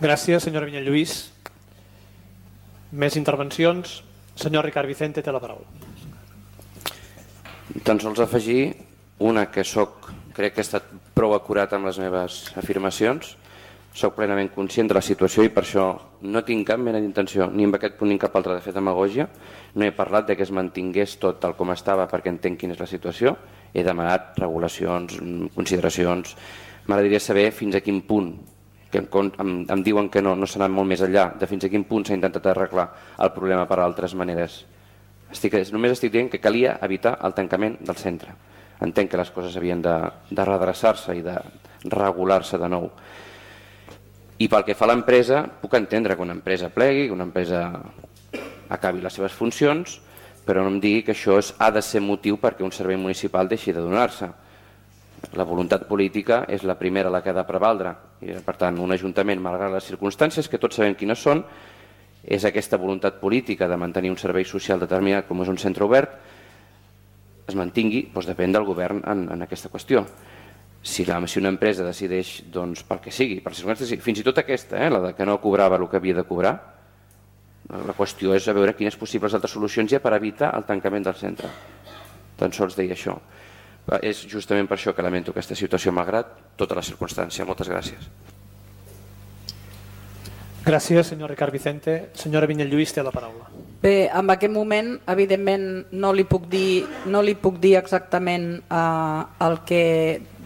Gràcies, senyora Vinyalluís. Més intervencions? Senyor Ricard Vicente té la paraula. Tan sols afegir una que soc, crec que he estat prou acurat amb les meves afirmacions. Soc plenament conscient de la situació i per això no tinc cap mena d'intenció, ni en aquest punt ni en cap altre, de fer demagògia. No he parlat de que es mantingués tot tal com estava perquè entenc quina és la situació. He demanat regulacions, consideracions. M'agradaria saber fins a quin punt que em, em, em diuen que no, no s'ha anat molt més enllà de fins a quin punt s'ha intentat arreglar el problema per altres maneres. Estic, només estic dient que calia evitar el tancament del centre. Entenc que les coses havien de, de redreçar-se i de regular-se de nou. I pel que fa a l'empresa, puc entendre que una empresa plegui, que una empresa acabi les seves funcions, però no em digui que això és, ha de ser motiu perquè un servei municipal deixi de donar-se. La voluntat política és la primera la que ha de prevaldre. I, per tant, un ajuntament, malgrat les circumstàncies, que tots sabem quines són, és aquesta voluntat política de mantenir un servei social determinat com és un centre obert, es mantingui, doncs depèn del govern en, en aquesta qüestió. Si, la, si una empresa decideix, doncs, pel que sigui, per circumstàncies, fins i tot aquesta, eh, la de que no cobrava el que havia de cobrar, la qüestió és a veure quines possibles altres solucions hi ha per evitar el tancament del centre. Tan sols deia això. És justament per això que lamento aquesta situació, malgrat tota la circumstància. Moltes gràcies. Gràcies, senyor Ricard Vicente. Senyora Vinyet-Lluís té la paraula. Bé, en aquest moment, evidentment, no li puc dir, no li puc dir exactament eh, el que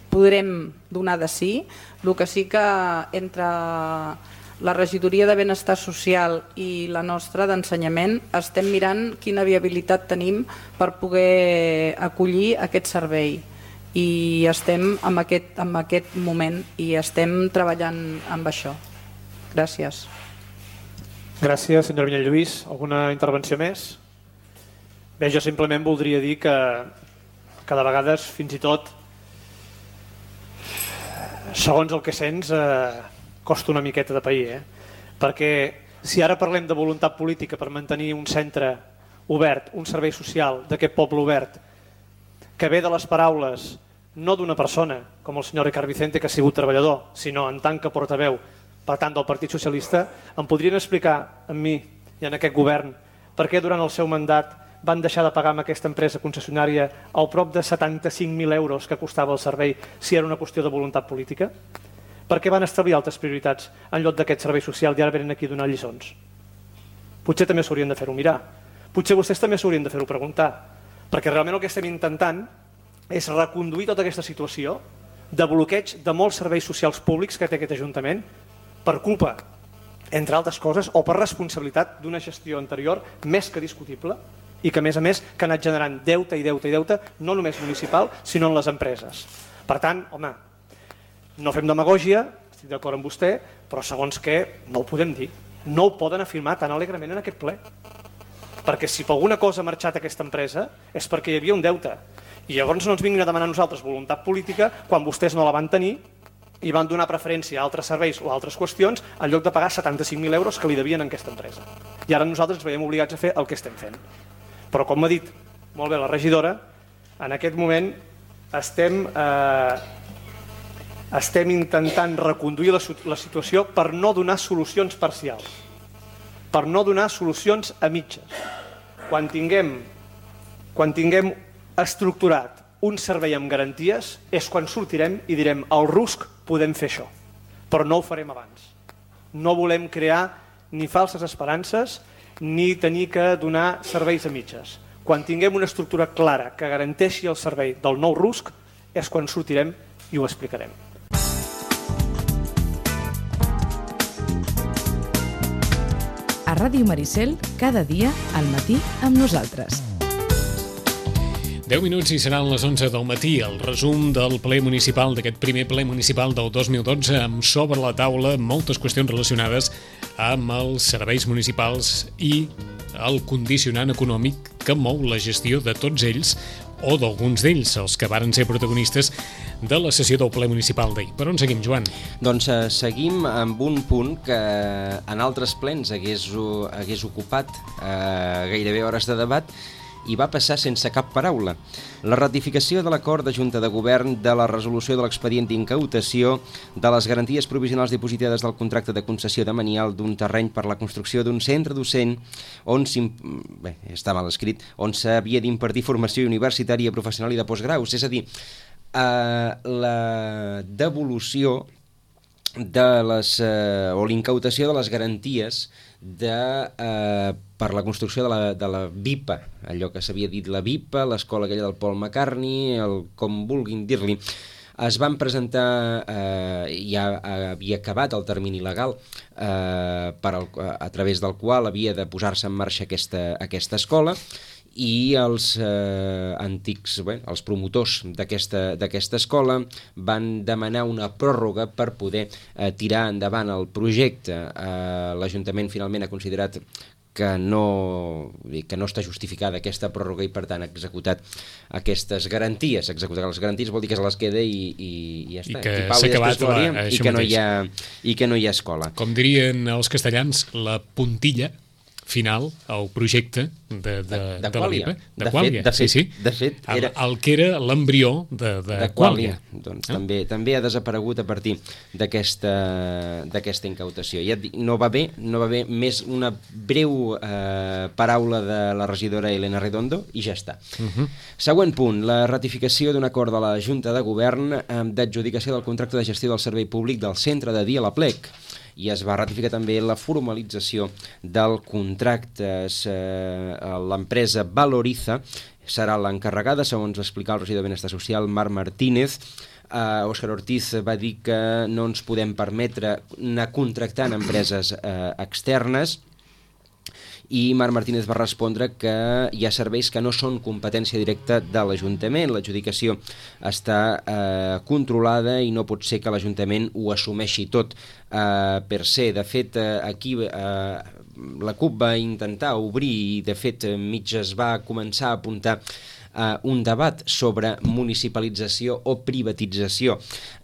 podrem donar de sí. El que sí que entre la regidoria de Benestar Social i la nostra d'ensenyament estem mirant quina viabilitat tenim per poder acollir aquest servei. I estem en aquest, en aquest moment i estem treballant amb això. Gràcies. Gràcies, senyora Vinyet-Lluís. Alguna intervenció més? Bé, jo simplement voldria dir que, que de vegades, fins i tot, segons el que sents, eh, costa una miqueta de pair. Eh? Perquè si ara parlem de voluntat política per mantenir un centre obert, un servei social d'aquest poble obert, que ve de les paraules no d'una persona, com el senyor Ricard Vicente, que ha sigut treballador, sinó en tant que portaveu, per tant, del Partit Socialista, em podrien explicar a mi i en aquest govern per què durant el seu mandat van deixar de pagar amb aquesta empresa concessionària al prop de setanta-cinc mil euros que costava el servei si era una qüestió de voluntat política? Per què van establir altres prioritats en lloc d'aquest servei social i ara venen aquí a donar lliçons? Potser també s'haurien de fer-ho mirar. Potser vostès també s'haurien de fer-ho preguntar. Perquè realment el que estem intentant és reconduir tota aquesta situació de bloqueig de molts serveis socials públics que té aquest Ajuntament per culpa, entre altres coses, o per responsabilitat d'una gestió anterior més que discutible i que, a més a més, que ha anat generant deute i deute i deute, no només municipal, sinó en les empreses. Per tant, home, no fem demagògia, estic d'acord amb vostè, però segons què no ho podem dir. No ho poden afirmar tan alegrement en aquest ple. Perquè si per alguna cosa ha marxat aquesta empresa és perquè hi havia un deute. I llavors no ens vinguin a demanar a nosaltres voluntat política quan vostès no la van tenir i van donar preferència a altres serveis o a altres qüestions en lloc de pagar setanta-cinc mil euros que li devien a aquesta empresa. I ara nosaltres ens veiem obligats a fer el que estem fent. Però com m'ha dit molt bé la regidora, en aquest moment estem, eh, estem intentant reconduir la, la situació per no donar solucions parcials, per no donar solucions a mitges. Quan tinguem, quan tinguem estructurat un servei amb garanties és quan sortirem i direm al rusc podem fer això, però no ho farem abans. No volem crear ni falses esperances ni tenir que donar serveis a mitges. Quan tinguem una estructura clara que garanteixi el servei del nou rusc és quan sortirem i ho explicarem. A Ràdio Maricel, cada dia al matí amb nosaltres. deu minuts i seran les onze del matí, el resum del ple municipal, d'aquest primer ple municipal del dos mil dotze, amb sobre la taula moltes qüestions relacionades amb els serveis municipals i el condicionant econòmic que mou la gestió de tots ells o d'alguns d'ells, els que varen ser protagonistes de la sessió del ple municipal d'ahir. Per on seguim, Joan? Doncs eh, seguim amb un punt que en altres plens hagués, hagués ocupat eh, gairebé hores de debat i va passar sense cap paraula. La ratificació de l'acord de Junta de Govern de la resolució de l'expedient d'incautació de les garanties provisionals dipositades del contracte de concessió de manial d'un terreny per la construcció d'un centre docent on bé, està mal escrit, on s'havia d'impartir formació universitària, professional i de postgraus. És a dir, eh, la devolució de les, eh, o l'incautació de les garanties de, eh, per la construcció de la, de la V I P A, allò que s'havia dit la V I P A, l'escola aquella del Paul McCartney, el, com vulguin dir-li. Es van presentar, eh, ja havia acabat el termini legal eh, per al, a través del qual havia de posar-se en marxa aquesta, aquesta escola, i els eh, antics, bé, els promotors d'aquesta escola van demanar una pròrroga per poder eh, tirar endavant el projecte. Eh, L'Ajuntament finalment ha considerat que no, que no està justificada aquesta pròrroga i per tant ha executat aquestes garanties. Executar les garanties vol dir que se les queda i, i, i ja està. I que s'ha acabat la, i que, no hi ha, i que no hi ha escola. Com dirien els castellans, la puntilla final al projecte de, de, de, de la Lipa. De, de Quàlia, de fet, sí, sí. De fet, era... El, el que era l'embrió de, de, de Quàlia. Doncs ah. també, també ha desaparegut a partir d'aquesta incautació. Ja dic, no va bé, no va bé més una breu eh, paraula de la regidora Elena Redondo i ja està. Uh -huh. Següent punt, la ratificació d'un acord de la Junta de Govern eh, d'adjudicació del contracte de gestió del servei públic del centre de dia a la Plec. I es va ratificar també la formalització del contracte. Eh, L'empresa Valoriza serà l'encarregada, segons va explicar el regidor de Benestar Social, Marc Martínez. Uh, Òscar Ortiz va dir que no ens podem permetre anar contractant empreses uh, externes, i Marc Martínez va respondre que hi ha serveis que no són competència directa de l'Ajuntament. L'adjudicació està eh, controlada i no pot ser que l'Ajuntament ho assumeixi tot eh, per se. De fet, eh, aquí eh, la CUP va intentar obrir i de fet mig es va començar a apuntar Uh, un debat sobre municipalització o privatització.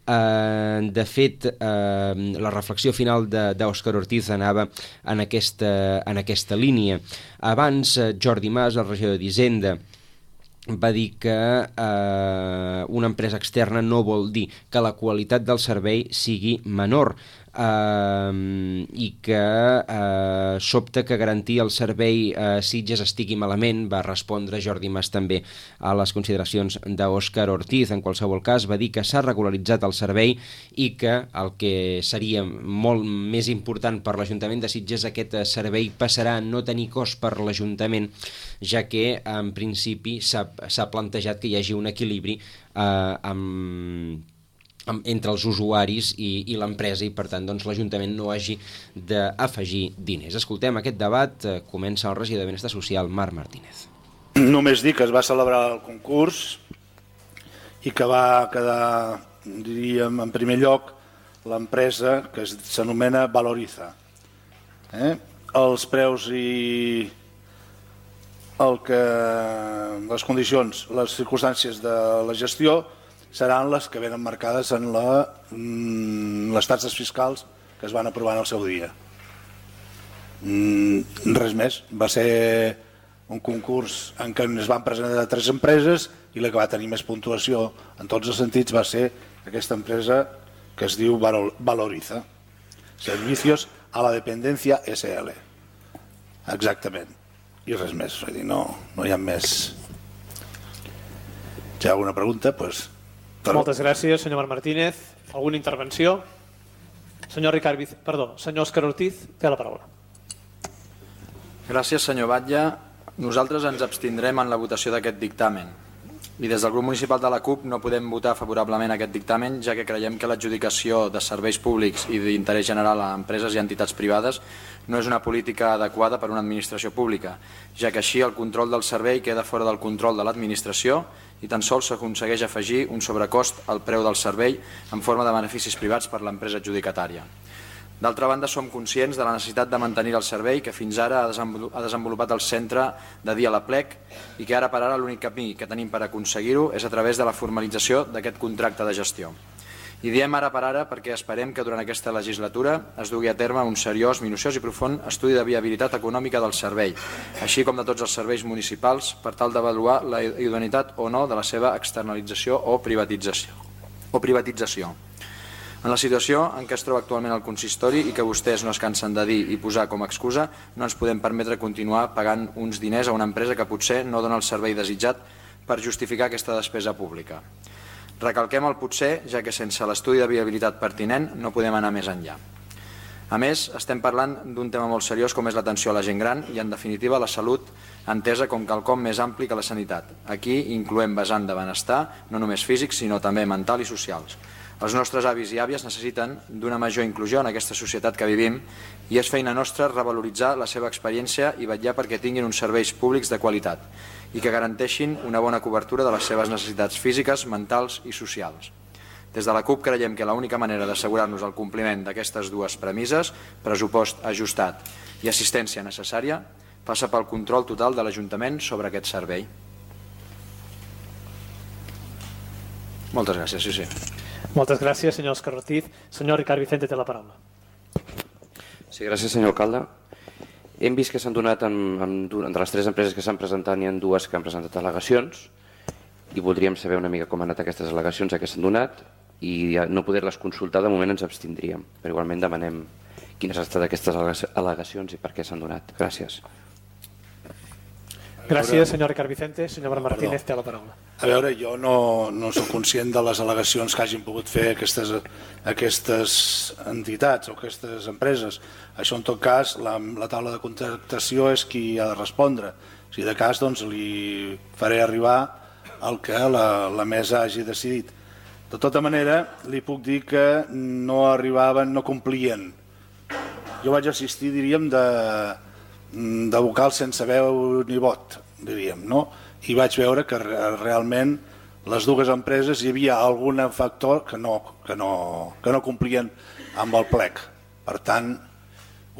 Uh, de fet, uh, la reflexió final d'Òscar Ortiz anava en aquesta, en aquesta línia. Abans, uh, Jordi Mas, el regidor d'Hisenda, va dir que eh, una empresa externa no vol dir que la qualitat del servei sigui menor, eh, i que eh, sobta que garantir el servei a Sitges estigui malament. Va respondre Jordi Mas també a les consideracions d'Òscar Ortiz. En qualsevol cas, va dir que s'ha regularitzat el servei i que el que seria molt més important per l'Ajuntament de Sitges, aquest servei passarà a no tenir cost per l'Ajuntament, ja que en principi s'ha s'ha plantejat que hi hagi un equilibri eh, amb, amb, entre els usuaris i, i l'empresa, i per tant doncs, l'Ajuntament no hagi d'afegir diners. Escoltem aquest debat, eh, comença el regidor de Benestar Social, Marc Martínez. Només dir que es va celebrar el concurs i que va quedar, diríem, en primer lloc l'empresa que s'anomena Valoriza. Eh? Els preus i el que les condicions, les circumstàncies de la gestió seran les que venen marcades en la, les taxes fiscals que es van aprovar en el seu dia. Res més. Va ser un concurs en què es van presentar tres empreses i la que va tenir més puntuació en tots els sentits va ser aquesta empresa que es diu Valoriza. Servicios a la Dependencia S L. Exactament. I res més, vull dir, no, no hi ha més. Si hi ha alguna pregunta, doncs... Però... Moltes gràcies, senyor Marc Martínez. Alguna intervenció? Senyor Ricard Vic... Perdó, senyor Òscar Ortiz, té la paraula. Gràcies, senyor Batlle. Nosaltres ens abstindrem en la votació d'aquest dictamen. I des del grup municipal de la CUP no podem votar favorablement aquest dictamen, ja que creiem que l'adjudicació de serveis públics i d'interès general a empreses i entitats privades no és una política adequada per a una administració pública, ja que així el control del servei queda fora del control de l'administració i tan sols s'aconsegueix afegir un sobrecost al preu del servei en forma de beneficis privats per l'empresa adjudicatària. D'altra banda, som conscients de la necessitat de mantenir el servei que fins ara ha desenvolupat el centre de dia a la Plec i que ara per ara l'únic camí que tenim per aconseguir-ho és a través de la formalització d'aquest contracte de gestió. I diem ara per ara perquè esperem que durant aquesta legislatura es dugui a terme un seriós, minuciós i profund estudi de viabilitat econòmica del servei, així com de tots els serveis municipals, per tal d'avaluar la idoneïtat o no de la seva externalització o privatització. O privatització. En la situació en què es troba actualment el consistori i que vostès no es cansen de dir i posar com a excusa, no ens podem permetre continuar pagant uns diners a una empresa que potser no dona el servei desitjat per justificar aquesta despesa pública. Recalquem el potser, ja que sense l'estudi de viabilitat pertinent no podem anar més enllà. A més, estem parlant d'un tema molt seriós com és l'atenció a la gent gran i, en definitiva, la salut entesa com quelcom més ampli que la sanitat. Aquí incloem vessant de benestar, no només físic, sinó també mental i socials. Els nostres avis i àvies necessiten d'una major inclusió en aquesta societat que vivim i és feina nostra revaloritzar la seva experiència i vetllar perquè tinguin uns serveis públics de qualitat i que garanteixin una bona cobertura de les seves necessitats físiques, mentals i socials. Des de la CUP creiem que l'única manera d'assegurar-nos el compliment d'aquestes dues premisses, pressupost ajustat i assistència necessària, passa pel control total de l'Ajuntament sobre aquest servei. Moltes gràcies, sí, sí. Moltes gràcies, senyor Òscar Ortiz. Senyor Ricard Vicente té la paraula. Sí, gràcies, senyor alcalde. Hem vist que s'han donat, en, en, entre les tres empreses que s'han presentat, n'hi ha dues que han presentat al·legacions i voldríem saber una mica com han anat aquestes al·legacions a què s'han donat i no poder-les consultar, de moment ens abstindríem. Però igualment demanem quines han estat aquestes al·legacions i per què s'han donat. Gràcies. Gràcies, senyor Ricard Vicente. Senyor Martínez té la paraula. A veure, jo no, no soc conscient de les al·legacions que hagin pogut fer aquestes, aquestes entitats o aquestes empreses. Això, en tot cas, la, la taula de contractació és qui ha de respondre. Si de cas, doncs, li faré arribar el que la, la mesa hagi decidit. De tota manera, li puc dir que no arribaven, no complien. Jo vaig assistir, diríem, de, de vocals sense veu ni vot, diríem, no? I vaig veure que realment les dues empreses hi havia algun factor que no, que no, que no complien amb el plec. Per tant,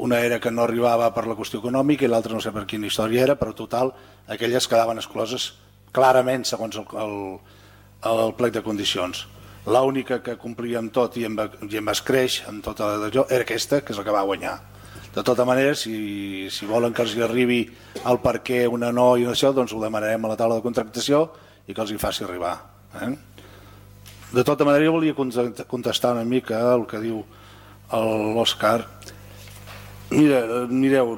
una era que no arribava per la qüestió econòmica i l'altra no sé per quina història era, però total, aquelles quedaven excloses clarament segons el, el, el plec de condicions. L'única que complia amb tot i amb, i amb escreix amb tota allò era aquesta, que és la que va guanyar. De tota manera, si, si volen que els hi arribi el per què una no i una això, doncs ho demanarem a la taula de contractació i que els hi faci arribar. Eh? De tota manera, jo volia contestar una mica el que diu l'Òscar. Mira, mireu,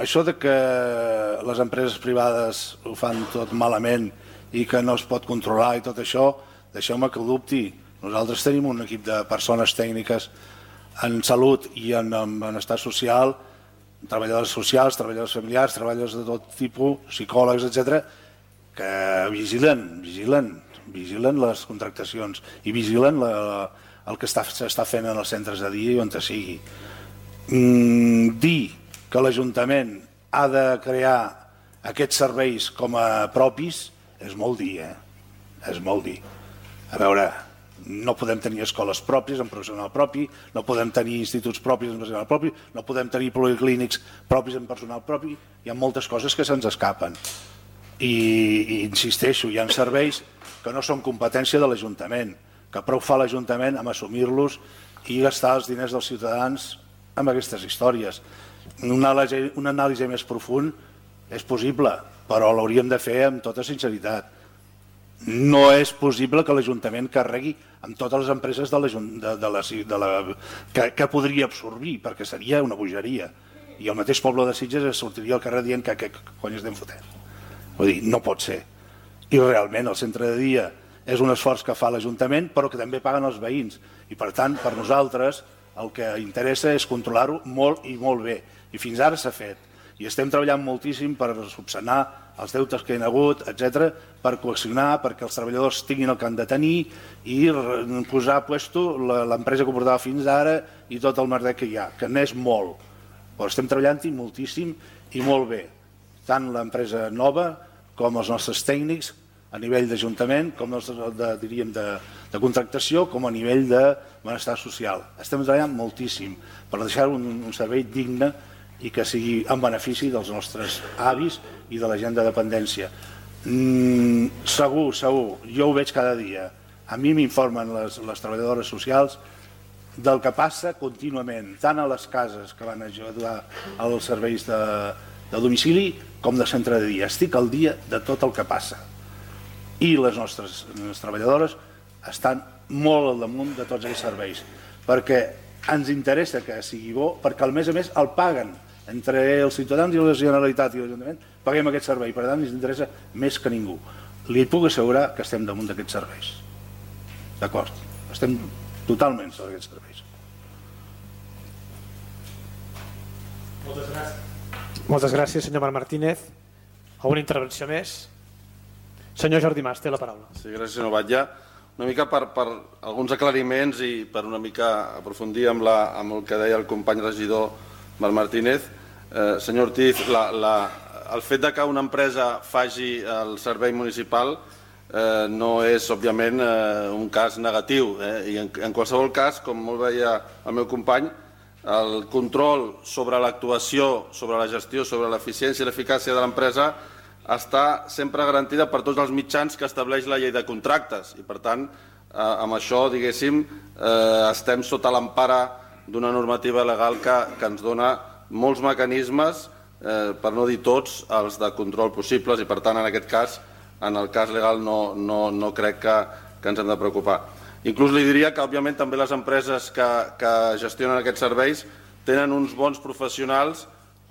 això de que les empreses privades ho fan tot malament i que no es pot controlar i tot això, deixeu-me que ho dubti. Nosaltres tenim un equip de persones tècniques en salut i en, en benestar social, treballadors socials, treballadors familiars, treballadors de tot tipus, psicòlegs, etcètera, que vigilen, vigilen, vigilen les contractacions i vigilen la, la, el que s'està fent en els centres de dia i on sigui. Mm, dir que l'Ajuntament ha de crear aquests serveis com a propis és molt dir, eh? És molt dir. A veure, no podem tenir escoles pròpies amb personal propi, no podem tenir instituts propis amb personal propi, no podem tenir policlínics propis amb personal propi, hi ha moltes coses que se'ns escapen. I, i insisteixo, hi ha serveis que no són competència de l'Ajuntament, que prou fa l'Ajuntament amb assumir-los i gastar els diners dels ciutadans amb aquestes històries. Una anàlisi, una anàlisi més profund és possible, però l'hauríem de fer amb tota sinceritat. No és possible que l'Ajuntament carregui amb totes les empreses de la, de, de la, de la, que, que podria absorbir, perquè seria una bogeria. I el mateix poble de Sitges es sortiria al carrer dient que què cony estem fotent. Vull dir, no pot ser. I realment el centre de dia és un esforç que fa l'Ajuntament, però que també paguen els veïns. I per tant, per nosaltres, el que interessa és controlar-ho molt i molt bé. I fins ara s'ha fet. I estem treballant moltíssim per subsanar els deutes que hi ha hagut, etcètera, per coaccionar, perquè els treballadors tinguin el que han de tenir i posar a puesto l'empresa que portava fins ara i tot el merder que hi ha, que n'és molt. Però estem treballant-hi moltíssim i molt bé. Tant l'empresa nova com els nostres tècnics a nivell d'Ajuntament, com els de, diríem, de, de contractació, com a nivell de benestar social. Estem treballant moltíssim per deixar un, un servei digne i que sigui en benefici dels nostres avis i de la gent de dependència. Mm, segur, segur, jo ho veig cada dia. A mi m'informen les, les treballadores socials del que passa contínuament, tant a les cases que van ajudar als serveis de, de domicili com de centre de dia. Estic al dia de tot el que passa. I les nostres les treballadores estan molt al damunt de tots aquests serveis, perquè ens interessa que sigui bo, perquè al mes a mes el paguen entre els ciutadans i la Generalitat i l'Ajuntament, paguem aquest servei, per tant ens interessa més que ningú. Li puc assegurar que estem damunt d'aquests serveis. D'acord? Estem totalment sobre aquests serveis. Moltes gràcies. Moltes gràcies, senyor Marc Martínez. Alguna intervenció més? Senyor Jordi Mas, té la paraula. Sí, gràcies, senyor Batlle. Una mica per, per alguns aclariments i per una mica aprofundir amb, la, amb el que deia el company regidor Marc Martínez. Eh, senyor Ortiz, la, la, el fet de que una empresa faci el servei municipal eh, no és, òbviament, eh, un cas negatiu. Eh? I en, en qualsevol cas, com molt veia el meu company, el control sobre l'actuació, sobre la gestió, sobre l'eficiència i l'eficàcia de l'empresa està sempre garantida per tots els mitjans que estableix la llei de contractes i, per tant, eh, amb això, diguéssim, eh, estem sota l'empara d'una normativa legal que, que ens dona molts mecanismes, eh, per no dir tots, els de control possibles i, per tant, en aquest cas, en el cas legal no, no, no crec que, que ens hem de preocupar. Inclús li diria que, òbviament, també les empreses que, que gestionen aquests serveis tenen uns bons professionals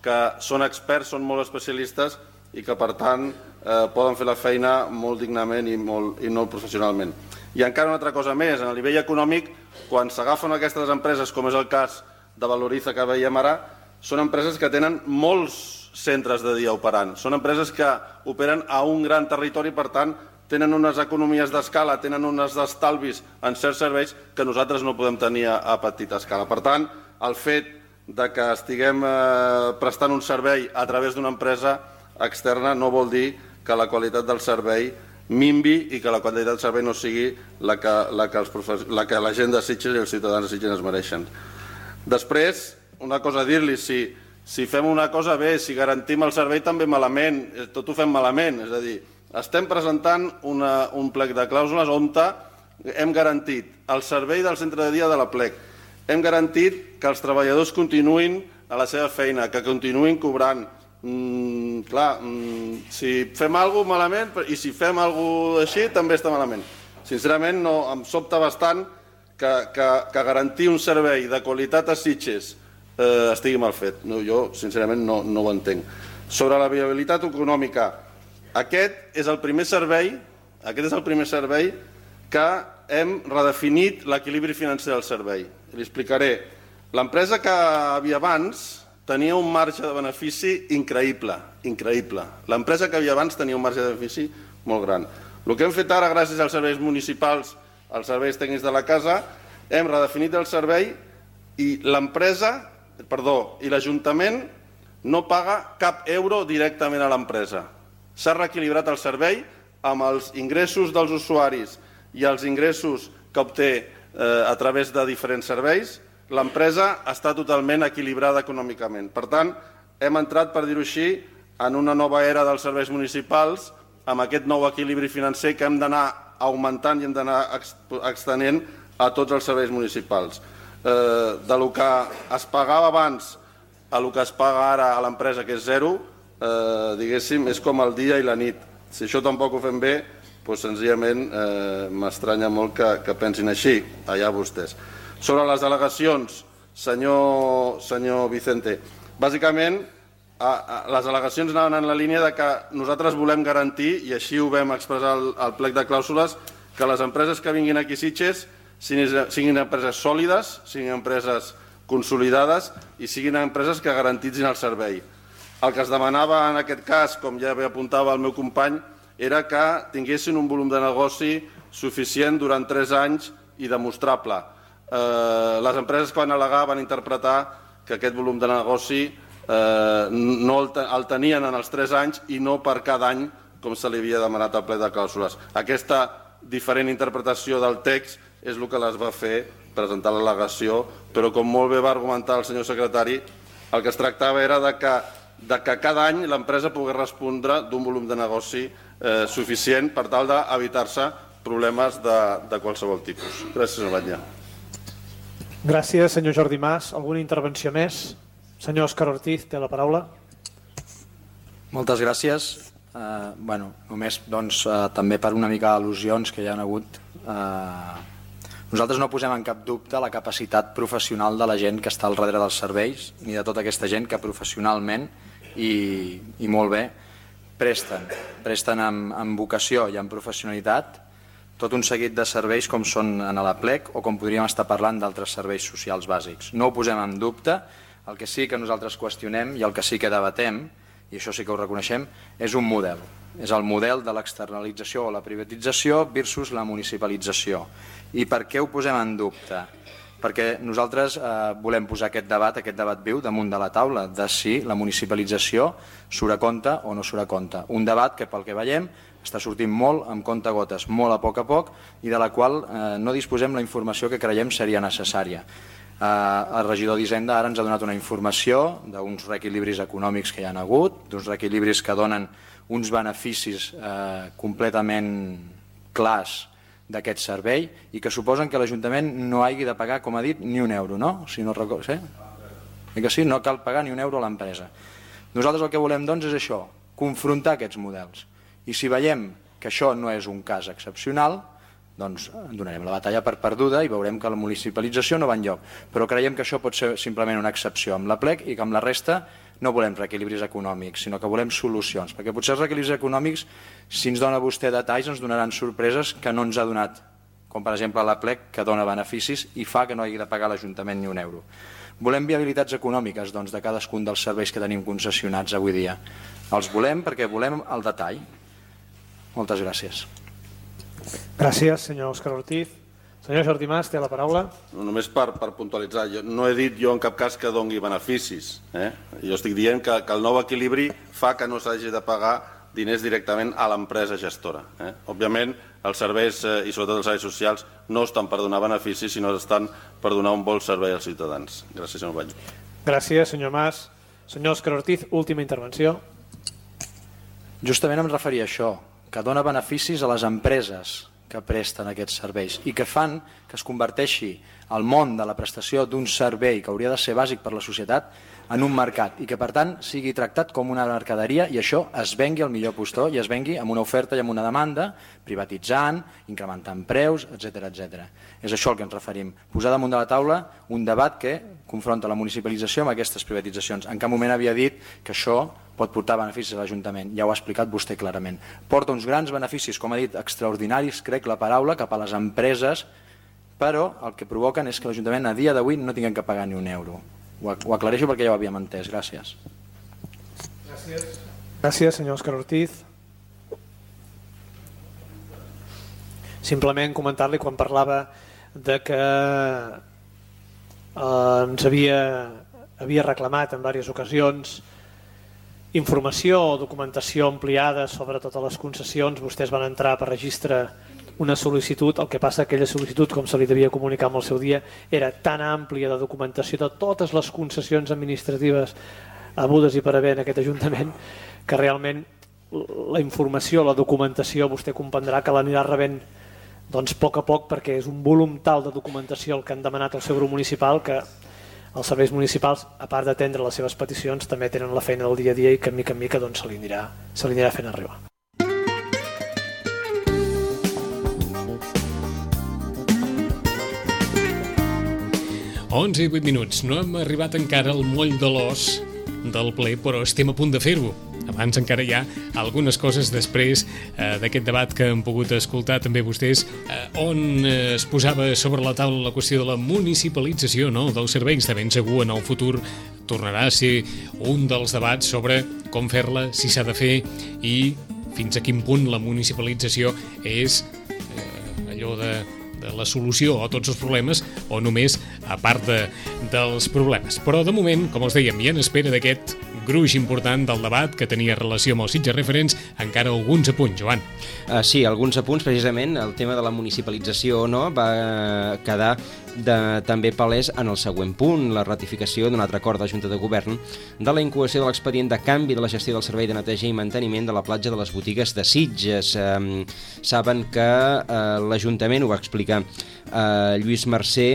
que són experts, són molt especialistes i que, per tant, eh, poden fer la feina molt dignament i molt, i molt professionalment. I encara una altra cosa més, en el nivell econòmic, quan s'agafen aquestes empreses, com és el cas de Valoriza que veiem ara, són empreses que tenen molts centres de dia operant. Són empreses que operen a un gran territori, per tant, tenen unes economies d'escala, tenen uns estalvis en certs serveis que nosaltres no podem tenir a petita escala. Per tant, el fet de que estiguem eh, prestant un servei a través d'una empresa externa no vol dir que la qualitat del servei minvi i que la qualitat del servei no sigui la que la, que els profes... la, que la gent de Sitges i els ciutadans de Sitges es mereixen. Després, una cosa a dir-li, si, si fem una cosa bé, si garantim el servei també malament, tot ho fem malament, és a dir, estem presentant una, un plec de clàusules on hem garantit el servei del centre de dia de la plec, hem garantit que els treballadors continuïn a la seva feina, que continuïn cobrant. Mm, clar, mm, si fem alguna cosa malament i si fem alguna cosa així també està malament. Sincerament, no, em sobta bastant que, que, que garantir un servei de qualitat a Sitges eh, estigui mal fet. No, jo, sincerament, no, no ho entenc. Sobre la viabilitat econòmica, aquest és el primer servei, aquest és el primer servei que hem redefinit l'equilibri financer del servei. Li explicaré. L'empresa que havia abans tenia un marge de benefici increïble, increïble. L'empresa que havia abans tenia un marge de benefici molt gran. El que hem fet ara, gràcies als serveis municipals, als serveis tècnics de la casa, hem redefinit el servei i l'empresa, perdó, i l'Ajuntament no paga cap euro directament a l'empresa. S'ha reequilibrat el servei amb els ingressos dels usuaris i els ingressos que obté eh, a través de diferents serveis. L'empresa està totalment equilibrada econòmicament. Per tant, hem entrat, per dir-ho així, en una nova era dels serveis municipals, amb aquest nou equilibri financer que hem d'anar augmentant i hem d'anar extenent a tots els serveis municipals. Eh, de lo que es pagava abans a lo que es paga ara a l'empresa, que és zero, eh, diguéssim, és com el dia i la nit. Si això tampoc ho fem bé, doncs senzillament eh, m'estranya molt que, que pensin així, allà vostès. Sobre les delegacions, senyor, senyor Vicente, bàsicament a, a, les al·legacions anaven en la línia de que nosaltres volem garantir, i així ho vam expressar al, al plec de clàusules, que les empreses que vinguin aquí a Sitges siguin, siguin empreses sòlides, siguin empreses consolidades i siguin empreses que garantitzin el servei. El que es demanava en aquest cas, com ja bé apuntava el meu company, era que tinguessin un volum de negoci suficient durant tres anys i demostrable. Eh, les empreses que van al·legar van interpretar que aquest volum de negoci eh, no el, el tenien en els tres anys i no per cada any, com se li havia demanat al ple de clàusules. Aquesta diferent interpretació del text és el que les va fer presentar l'al·legació, però com molt bé va argumentar el senyor secretari, el que es tractava era de que, de que cada any l'empresa pogués respondre d'un volum de negoci eh, suficient per tal d'evitar-se problemes de, de qualsevol tipus. Gràcies, senyor Batlle. Gràcies, senyor Jordi Mas. Alguna intervenció més? Senyor Òscar Ortiz, té la paraula. Moltes gràcies. Eh, bueno, només doncs, eh, també per una mica al·lusions que hi ha hagut. Eh, nosaltres no posem en cap dubte la capacitat professional de la gent que està al darrere dels serveis, ni de tota aquesta gent que professionalment i, i molt bé presten, presten amb, amb vocació i amb professionalitat tot un seguit de serveis com són en la plec o com podríem estar parlant d'altres serveis socials bàsics. No ho posem en dubte, El que sí que nosaltres qüestionem i el que sí que debatem, i això sí que ho reconeixem, és un model. És el model de l'externalització o la privatització versus la municipalització. I per què ho posem en dubte? Perquè nosaltres eh, volem posar aquest debat, aquest debat viu damunt de la taula de si la municipalització surt a compte o no surt a compte. Un debat que pel que veiem està sortint molt amb comptagotes, molt a poc a poc, i de la qual eh, no disposem la informació que creiem seria necessària. Eh, el regidor d'Hisenda ara ens ha donat una informació d'uns reequilibris econòmics que hi ha hagut, d'uns reequilibris que donen uns beneficis eh, completament clars d'aquest servei i que suposen que l'Ajuntament no hagi de pagar, com ha dit, ni un euro, no? Si no recordo, sí? I que sí, no cal pagar ni un euro a l'empresa. Nosaltres el que volem, doncs, és això, confrontar aquests models. I si veiem que això no és un cas excepcional, doncs donarem la batalla per perduda i veurem que la municipalització no va enlloc. Però creiem que això pot ser simplement una excepció amb la plec i que amb la resta no volem reequilibris econòmics, sinó que volem solucions. Perquè potser els reequilibris econòmics, si ens dona vostè detalls, ens donaran sorpreses que no ens ha donat, com per exemple la plec, que dona beneficis i fa que no hagi de pagar l'Ajuntament ni un euro. Volem viabilitats econòmiques doncs, de cadascun dels serveis que tenim concessionats avui dia. Els volem perquè volem el detall. Moltes gràcies. Gràcies, senyor Òscar Ortiz. Senyor Jordi Mas, té la paraula. No, només per, per puntualitzar, jo no he dit jo en cap cas que doni beneficis. Eh? Jo estic dient que, que el nou equilibri fa que no s'hagi de pagar diners directament a l'empresa gestora. Eh? Òbviament, els serveis, eh, i sobretot els serveis socials, no estan per donar beneficis, sinó estan per donar un bon servei als ciutadans. Gràcies, senyor Batlle. Gràcies, senyor Mas. Senyor Òscar Ortiz, última intervenció. Justament em referia a això, que dona beneficis a les empreses que presten aquests serveis i que fan que es converteixi el món de la prestació d'un servei que hauria de ser bàsic per la societat en un mercat i que per tant sigui tractat com una mercaderia i això es vengui al millor postor i es vengui amb una oferta i amb una demanda, privatitzant, incrementant preus, etcètera, etcètera. És això al que ens referim. Posar damunt de la taula un debat que confronta la municipalització amb aquestes privatitzacions. En cap moment havia dit que això pot portar beneficis a l'Ajuntament, ja ho ha explicat vostè clarament. Porta uns grans beneficis, com ha dit, extraordinaris, crec la paraula, cap a les empreses, però el que provoquen és que l'Ajuntament a dia d'avui no tinguem que pagar ni un euro. Ho aclareixo perquè ja ho havíem entès. Gràcies. Gràcies. Gràcies, senyor Òscar Ortiz. Simplement comentar-li quan parlava de que eh, ens havia, havia reclamat en diverses ocasions informació o documentació ampliada sobre totes les concessions. Vostès van entrar per registre una sol·licitud, el que passa que aquella sol·licitud, com se li devia comunicar en el seu dia, era tan àmplia de documentació de totes les concessions administratives hagudes i per haver en aquest Ajuntament, que realment la informació, la documentació, vostè comprendrà que l'anirà rebent doncs, a poc a poc, perquè és un volum tal de documentació el que han demanat al seu grup municipal que els serveis municipals, a part d'atendre les seves peticions, també tenen la feina del dia a dia i que mica en mica doncs, se li anirà, se li anirà fent arribar. onze i vuit minuts. No hem arribat encara al moll de l'os del ple, però estem a punt de fer-ho. Abans encara hi ha algunes coses després eh, d'aquest debat que hem pogut escoltar també vostès, eh, on eh, es posava sobre la taula la qüestió de la municipalització, no?, dels serveis. De ben segur en el futur tornarà a ser un dels debats sobre com fer-la, si s'ha de fer i fins a quin punt la municipalització és eh, allò de de la solució a tots els problemes o només a part de, dels problemes. Però de moment, com els dèiem, i en espera d'aquest gruix important del debat que tenia relació amb els Sitges Referents, encara alguns apunts, Joan. Uh, sí, alguns apunts, precisament, el tema de la municipalització o no va quedar de, també palès en el següent punt, la ratificació d'un altre acord de Junta de Govern de la incoació de l'expedient de canvi de la gestió del servei de neteja i manteniment de la platja de les botigues de Sitges. Eh, saben que eh, l'Ajuntament, ho va explicar eh, Lluís Mercè,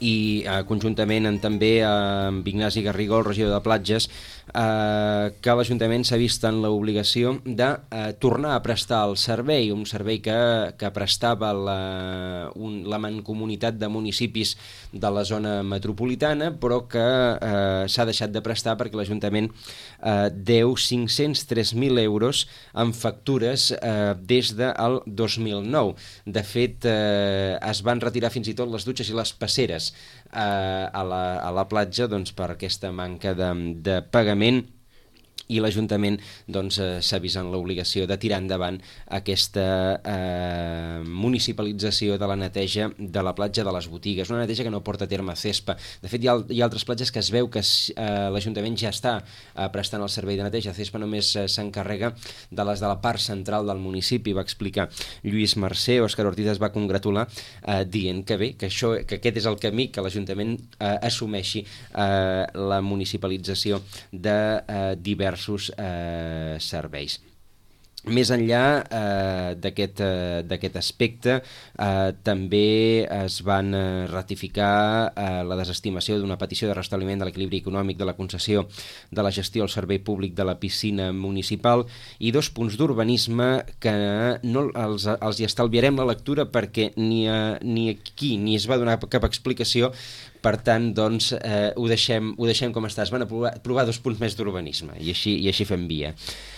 i eh, conjuntament amb, també eh, amb Ignasi Garrigó, el regidor de Platges, eh, que l'Ajuntament s'ha vist en l'obligació de eh, tornar a prestar el servei, un servei que, que prestava la, un, la mancomunitat de municipis de la zona metropolitana, però que eh, s'ha deixat de prestar perquè l'Ajuntament eh, deu cinc-cents tres mil euros en factures eh, des del dos mil nou. De fet, eh, es van retirar fins i tot les dutxes i les passeres a la, a la platja doncs, per aquesta manca de, de pagament, i l'Ajuntament doncs, eh, s'ha vist en l'obligació de tirar endavant aquesta eh, municipalització de la neteja de la platja de les Botigues, una neteja que no porta a terme CESPA. De fet, hi ha, hi ha altres platges que es veu que eh, l'Ajuntament ja està eh, prestant el servei de neteja. CESPA només eh, s'encarrega de les de la part central del municipi, va explicar Lluís Mercè. Òscar Ortiz es va congratular eh, dient que bé, que, això, que aquest és el camí, que l'Ajuntament eh, assumeixi eh, la municipalització de eh, diversos Eh, serveis. Més enllà eh, d'aquest eh, d'aquest aspecte, eh, també es van eh, ratificar eh, la desestimació d'una petició de restabliment de l'equilibri econòmic de la concessió de la gestió al servei públic de la piscina municipal i dos punts d'urbanisme que no els, els hi estalviarem la lectura perquè ni, a, ni aquí ni es va donar cap explicació. Per tant, doncs, eh, ho, deixem, ho deixem com està. Es van aprovar, aprovar dos punts més d'urbanisme i així, i així fem via.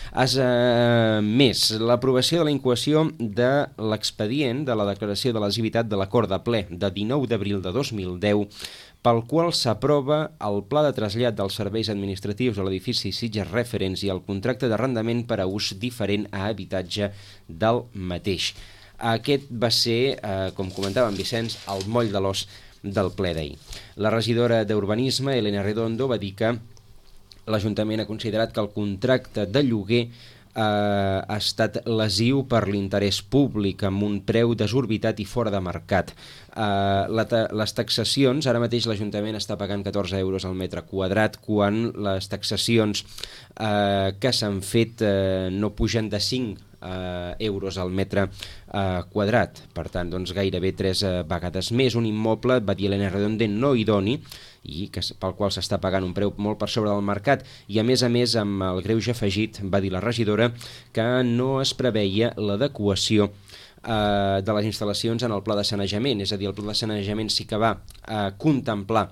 As, eh, més, l'aprovació de la incoació de l'expedient de la declaració de lesivitat de l'acord de ple de dinou d'abril de dos mil deu pel qual s'aprova el pla de trasllat dels serveis administratius a l'edifici Sitges Referents i el contracte d'arrendament per a ús diferent a habitatge del mateix. Aquest va ser, eh, com comentava en Vicenç, el moll de l'os del ple d'ahir. La regidora d'Urbanisme, Elena Redondo, va dir que l'Ajuntament ha considerat que el contracte de lloguer eh, ha estat lesiu per l'interès públic amb un preu desorbitat i fora de mercat. Eh, la ta les taxacions, ara mateix l'Ajuntament està pagant catorze euros al metre quadrat quan les taxacions eh, que s'han fet eh, no pugen de cinc Uh, euros al metre uh, quadrat. Per tant, doncs, gairebé tres uh, vegades més. Un immoble, va dir Elena Redondo, no idoni, i que, pel qual s'està pagant un preu molt per sobre del mercat. I a més a més, amb el greuge afegit, va dir la regidora, que no es preveia l'adequació uh, de les instal·lacions en el pla de sanejament. És a dir, el pla de sanejament sí que va uh, contemplar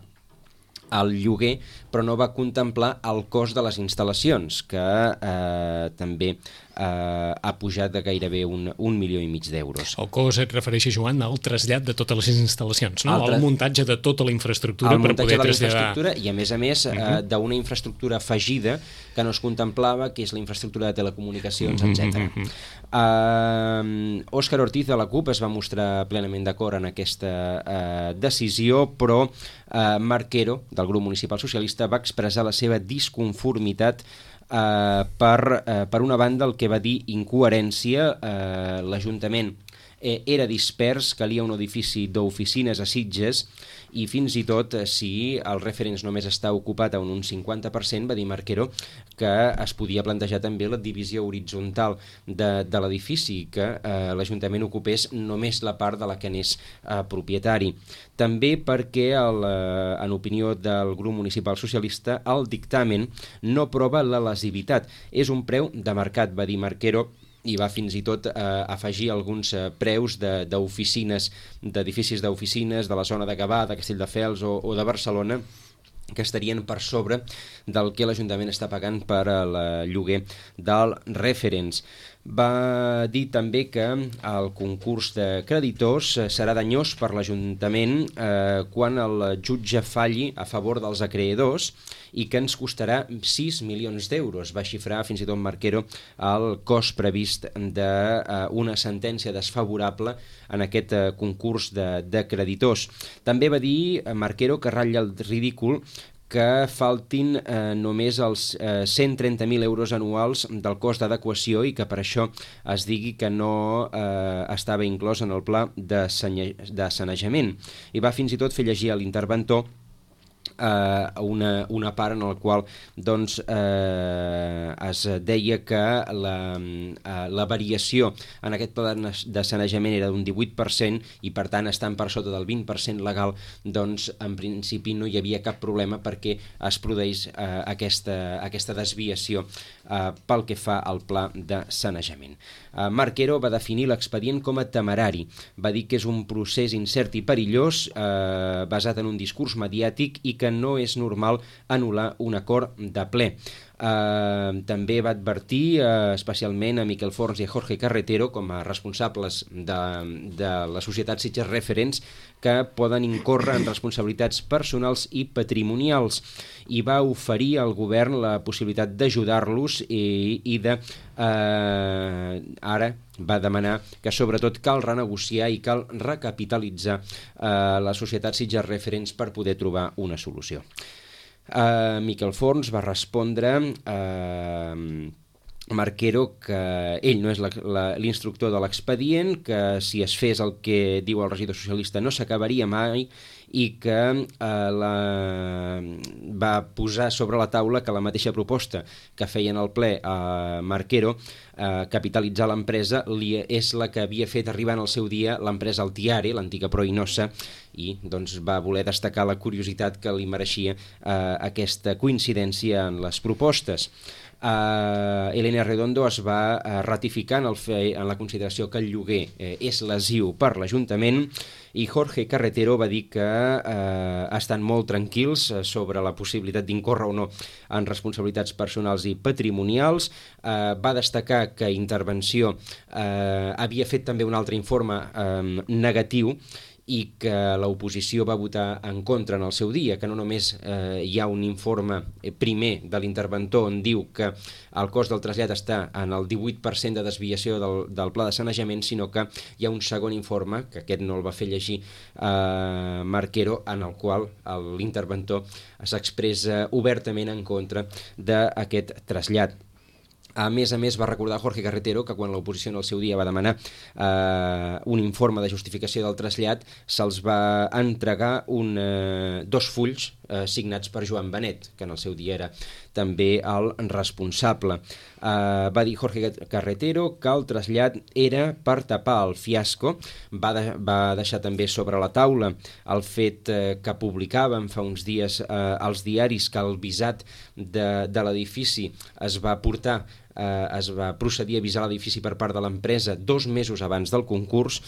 el lloguer, però no va contemplar el cost de les instal·lacions, que eh, també eh, ha pujat de gairebé un, un milió i mig d'euros. El cost et refereixes, Joan, al trasllat de totes les instal·lacions, no? Al el muntatge de tota la infraestructura per poder traslladar... I a més a més uh -huh. eh, d'una infraestructura afegida que no es contemplava, que és la infraestructura de telecomunicacions, uh -huh. etcètera. Uh -huh. uh, Òscar Ortiz de la CUP es va mostrar plenament d'acord en aquesta uh, decisió, però uh, Marquero, del grup municipal socialista, va expressar la seva disconformitat eh, per, eh, per una banda el que va dir incoherència. eh, l'Ajuntament eh, era dispers, calia un edifici d'oficines a Sitges i fins i tot eh, si el Referents només està ocupat a un cinquanta per cent, va dir Marquero que es podia plantejar també la divisió horitzontal de, de l'edifici, que eh, l'Ajuntament ocupés només la part de la que n'és eh, propietari. També perquè, el, eh, en opinió del grup municipal socialista, el dictamen no prova la lesivitat. És un preu de mercat, va dir Marquero, i va fins i tot eh, afegir alguns eh, preus d'oficines, d'edificis d'oficines de la zona de Gavà, de Castelldefels o, o de Barcelona, que estarien per sobre del que l'Ajuntament està pagant per al lloguer del Referents. Va dir també que el concurs de creditors serà danyós per l'Ajuntament eh, quan el jutge falli a favor dels acreedors i que ens costarà sis milions d'euros. Va xifrar fins i tot Marquero el cost previst d'una sentència desfavorable en aquest eh, concurs de, de creditors. També va dir Marquero que ratlla el ridícul que faltin eh, només els eh, cent trenta mil euros anuals del cost d'adequació i que per això es digui que no eh, estava inclòs en el pla de, de sanejament. I va fins i tot fer llegir a l'interventor Uh, una, una part en el qual doncs, uh, es deia que la, uh, la variació en aquest pla de sanejament era d'un divuit per cent i per tant estant per sota del vint per cent legal, doncs en principi no hi havia cap problema perquè es produeix uh, aquesta, aquesta desviació uh, pel que fa al pla de sanejament. Uh, Marquero va definir l'expedient com a temerari, va dir que és un procés incert i perillós uh, basat en un discurs mediàtic i que no és normal anul·lar un acord de ple. Eh, també va advertir eh, especialment a Miquel Forns i a Jorge Carretero com a responsables de, de la societat Sitges Referents que poden incórrer en responsabilitats personals i patrimonials i va oferir al govern la possibilitat d'ajudar-los i, i de eh, ara va demanar que sobretot cal renegociar i cal recapitalitzar eh, la societat Sitges Referents per poder trobar una solució. Uh, Miquel Forns va respondre uh, Marquero que ell no és l'instructor de l'expedient, que si es fes el que diu el regidor socialista no s'acabaria mai i que eh, la... va posar sobre la taula que la mateixa proposta que feien al ple a Marquero, eh, capitalitzar l'empresa, és la que havia fet arribar en el seu dia l'empresa Altiare, l'antiga Proinosa, i doncs, va voler destacar la curiositat que li mereixia eh, aquesta coincidència en les propostes. Uh, Elena Redondo es va uh, ratificar en, el fe, en la consideració que el lloguer eh, és lesiu per l'Ajuntament i Jorge Carretero va dir que uh, estan molt tranquils uh, sobre la possibilitat d'incórrer o no en responsabilitats personals i patrimonials. Uh, va destacar que Intervenció uh, havia fet també un altre informe um, negatiu i que l'oposició va votar en contra en el seu dia, que no només eh, hi ha un informe primer de l'interventor on diu que el cost del trasllat està en el divuit per cent de desviació del, del pla de sanejament, sinó que hi ha un segon informe, que aquest no el va fer llegir eh, Marquero, en el qual l'interventor s'expressa obertament en contra d'aquest trasllat. A més a més va recordar Jorge Carretero que quan l'oposició en el seu dia va demanar eh, un informe de justificació del trasllat se'ls va entregar un, eh, dos fulls eh, signats per Joan Benet, que en el seu dia era també el responsable. Eh, va dir Jorge Carretero que el trasllat era per tapar el fiasco. Va, de, va deixar també sobre la taula el fet eh, que publicaven fa uns dies eh, els diaris que el visat de, de l'edifici es va portar Eh, es va procedir a avisar l'edifici per part de l'empresa dos mesos abans del concurs,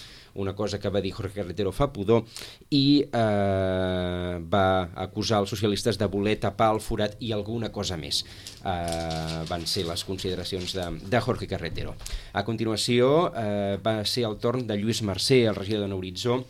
una cosa que va dir Jorge Carretero fa pudor, i eh, va acusar els socialistes de voler tapar el forat i alguna cosa més. Eh, van ser les consideracions de, de Jorge Carretero. A continuació eh, va ser el torn de Lluís Mercè, el regidor de Nou Horitzó.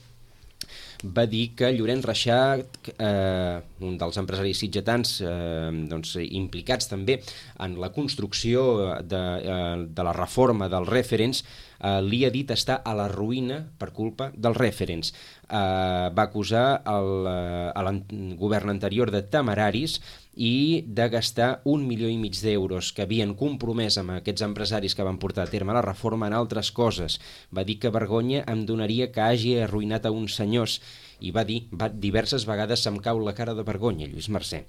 Va dir que Llorenç Reixac, eh, un dels empresaris sitgetans eh, doncs, implicats també en la construcció de, eh, de la reforma dels Referents, eh, li ha dit estar a la ruïna per culpa dels Referents. Eh, va acusar el, el govern anterior de temeraris i de gastar un milió i mig d'euros que havien compromès amb aquests empresaris que van portar a terme la reforma en altres coses. Va dir que vergonya em donaria que hagi arruïnat a uns senyors i va dir va, diverses vegades se'm cau la cara de vergonya, Lluís Mercè.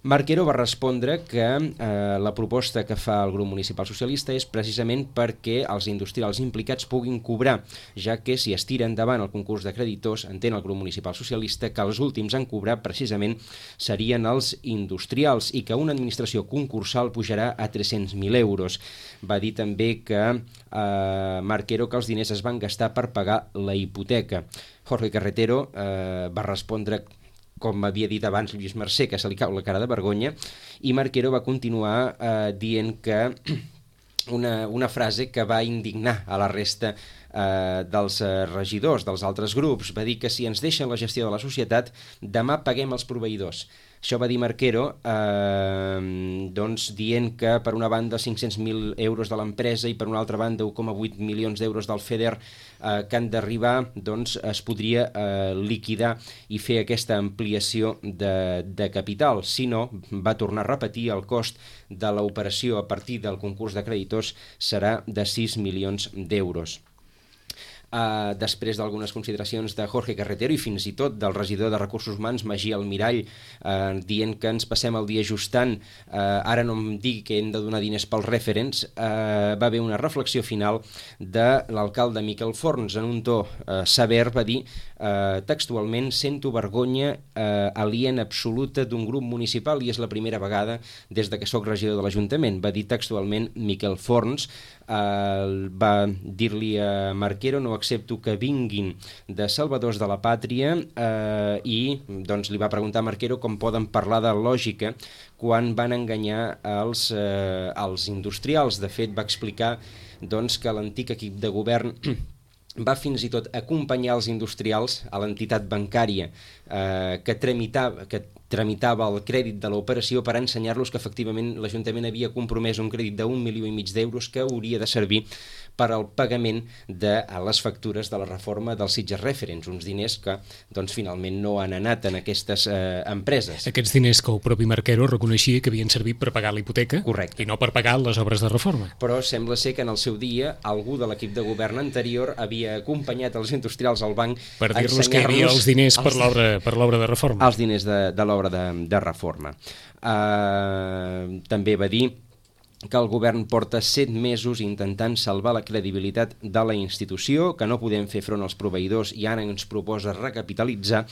Marquero va respondre que eh, la proposta que fa el grup municipal socialista és precisament perquè els industrials implicats puguin cobrar, ja que si es tira endavant el concurs de creditors, entén el grup municipal socialista que els últims en cobrar precisament serien els industrials i que una administració concursal pujarà a tres-cents mil euros. Va dir també que eh, Marquero que els diners es van gastar per pagar la hipoteca. Jorge Carretero eh, va respondre, com havia dit abans Lluís Mercè, que se li cau la cara de vergonya, i Marquero va continuar eh, dient que una, una frase que va indignar a la resta eh, dels eh, regidors, dels altres grups. Va dir que si ens deixen la gestió de la societat, demà paguem els proveïdors. Això va dir Marquero, eh, doncs, dient que per una banda cinc-cents mil euros de l'empresa i per una altra banda un coma vuit milions d'euros del FEDER eh, que han d'arribar, doncs es podria eh, liquidar i fer aquesta ampliació de, de capital. Si no, va tornar a repetir, el cost de l'operació a partir del concurs de creditors serà de sis milions d'euros. Uh, després d'algunes consideracions de Jorge Carretero i fins i tot del regidor de Recursos Humans Magí Almirall, uh, dient que ens passem el dia ajustant, uh, ara no em digui que hem de donar diners pels Referents, uh, va haver una reflexió final de l'alcalde Miquel Forns en un to uh, sever. Va dir uh, textualment: sento vergonya uh, aliena absoluta d'un grup municipal i és la primera vegada des de que sóc regidor de l'Ajuntament. Va dir textualment Miquel Forns. Uh, va dir-li a Marquero: no accepto que vinguin de salvadors de la pàtria, uh, i doncs, li va preguntar a Marquero com poden parlar de lògica quan van enganyar els, uh, els industrials. De fet, va explicar doncs, que l'antic equip de govern va fins i tot acompanyar els industrials a l'entitat bancària eh, que tramitava, que tramitava el crèdit de l'operació per ensenyar-los que efectivament l'Ajuntament havia compromès un crèdit d'un milió i mig d'euros que hauria de servir per al pagament de les factures de la reforma dels Sitges Referents, uns diners que doncs, finalment no han anat en aquestes eh, empreses. Aquests diners que el propi Marquero reconeixia que havien servit per pagar la hipoteca. Correcte. I no per pagar les obres de reforma. Però sembla ser que en el seu dia algú de l'equip de govern anterior havia acompanyat els industrials al banc per dir-los que hi havia els diners per l'obra per l'obra de reforma. Els diners de, de l'obra de, de reforma. Uh, també va dir que el govern porta set mesos intentant salvar la credibilitat de la institució, que no podem fer front als proveïdors i ara ens proposa recapitalitzar,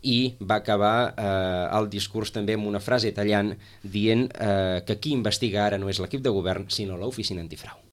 i va acabar eh, el discurs també amb una frase tallant dient eh, que qui investiga ara no és l'equip de govern sinó l'oficina antifrau.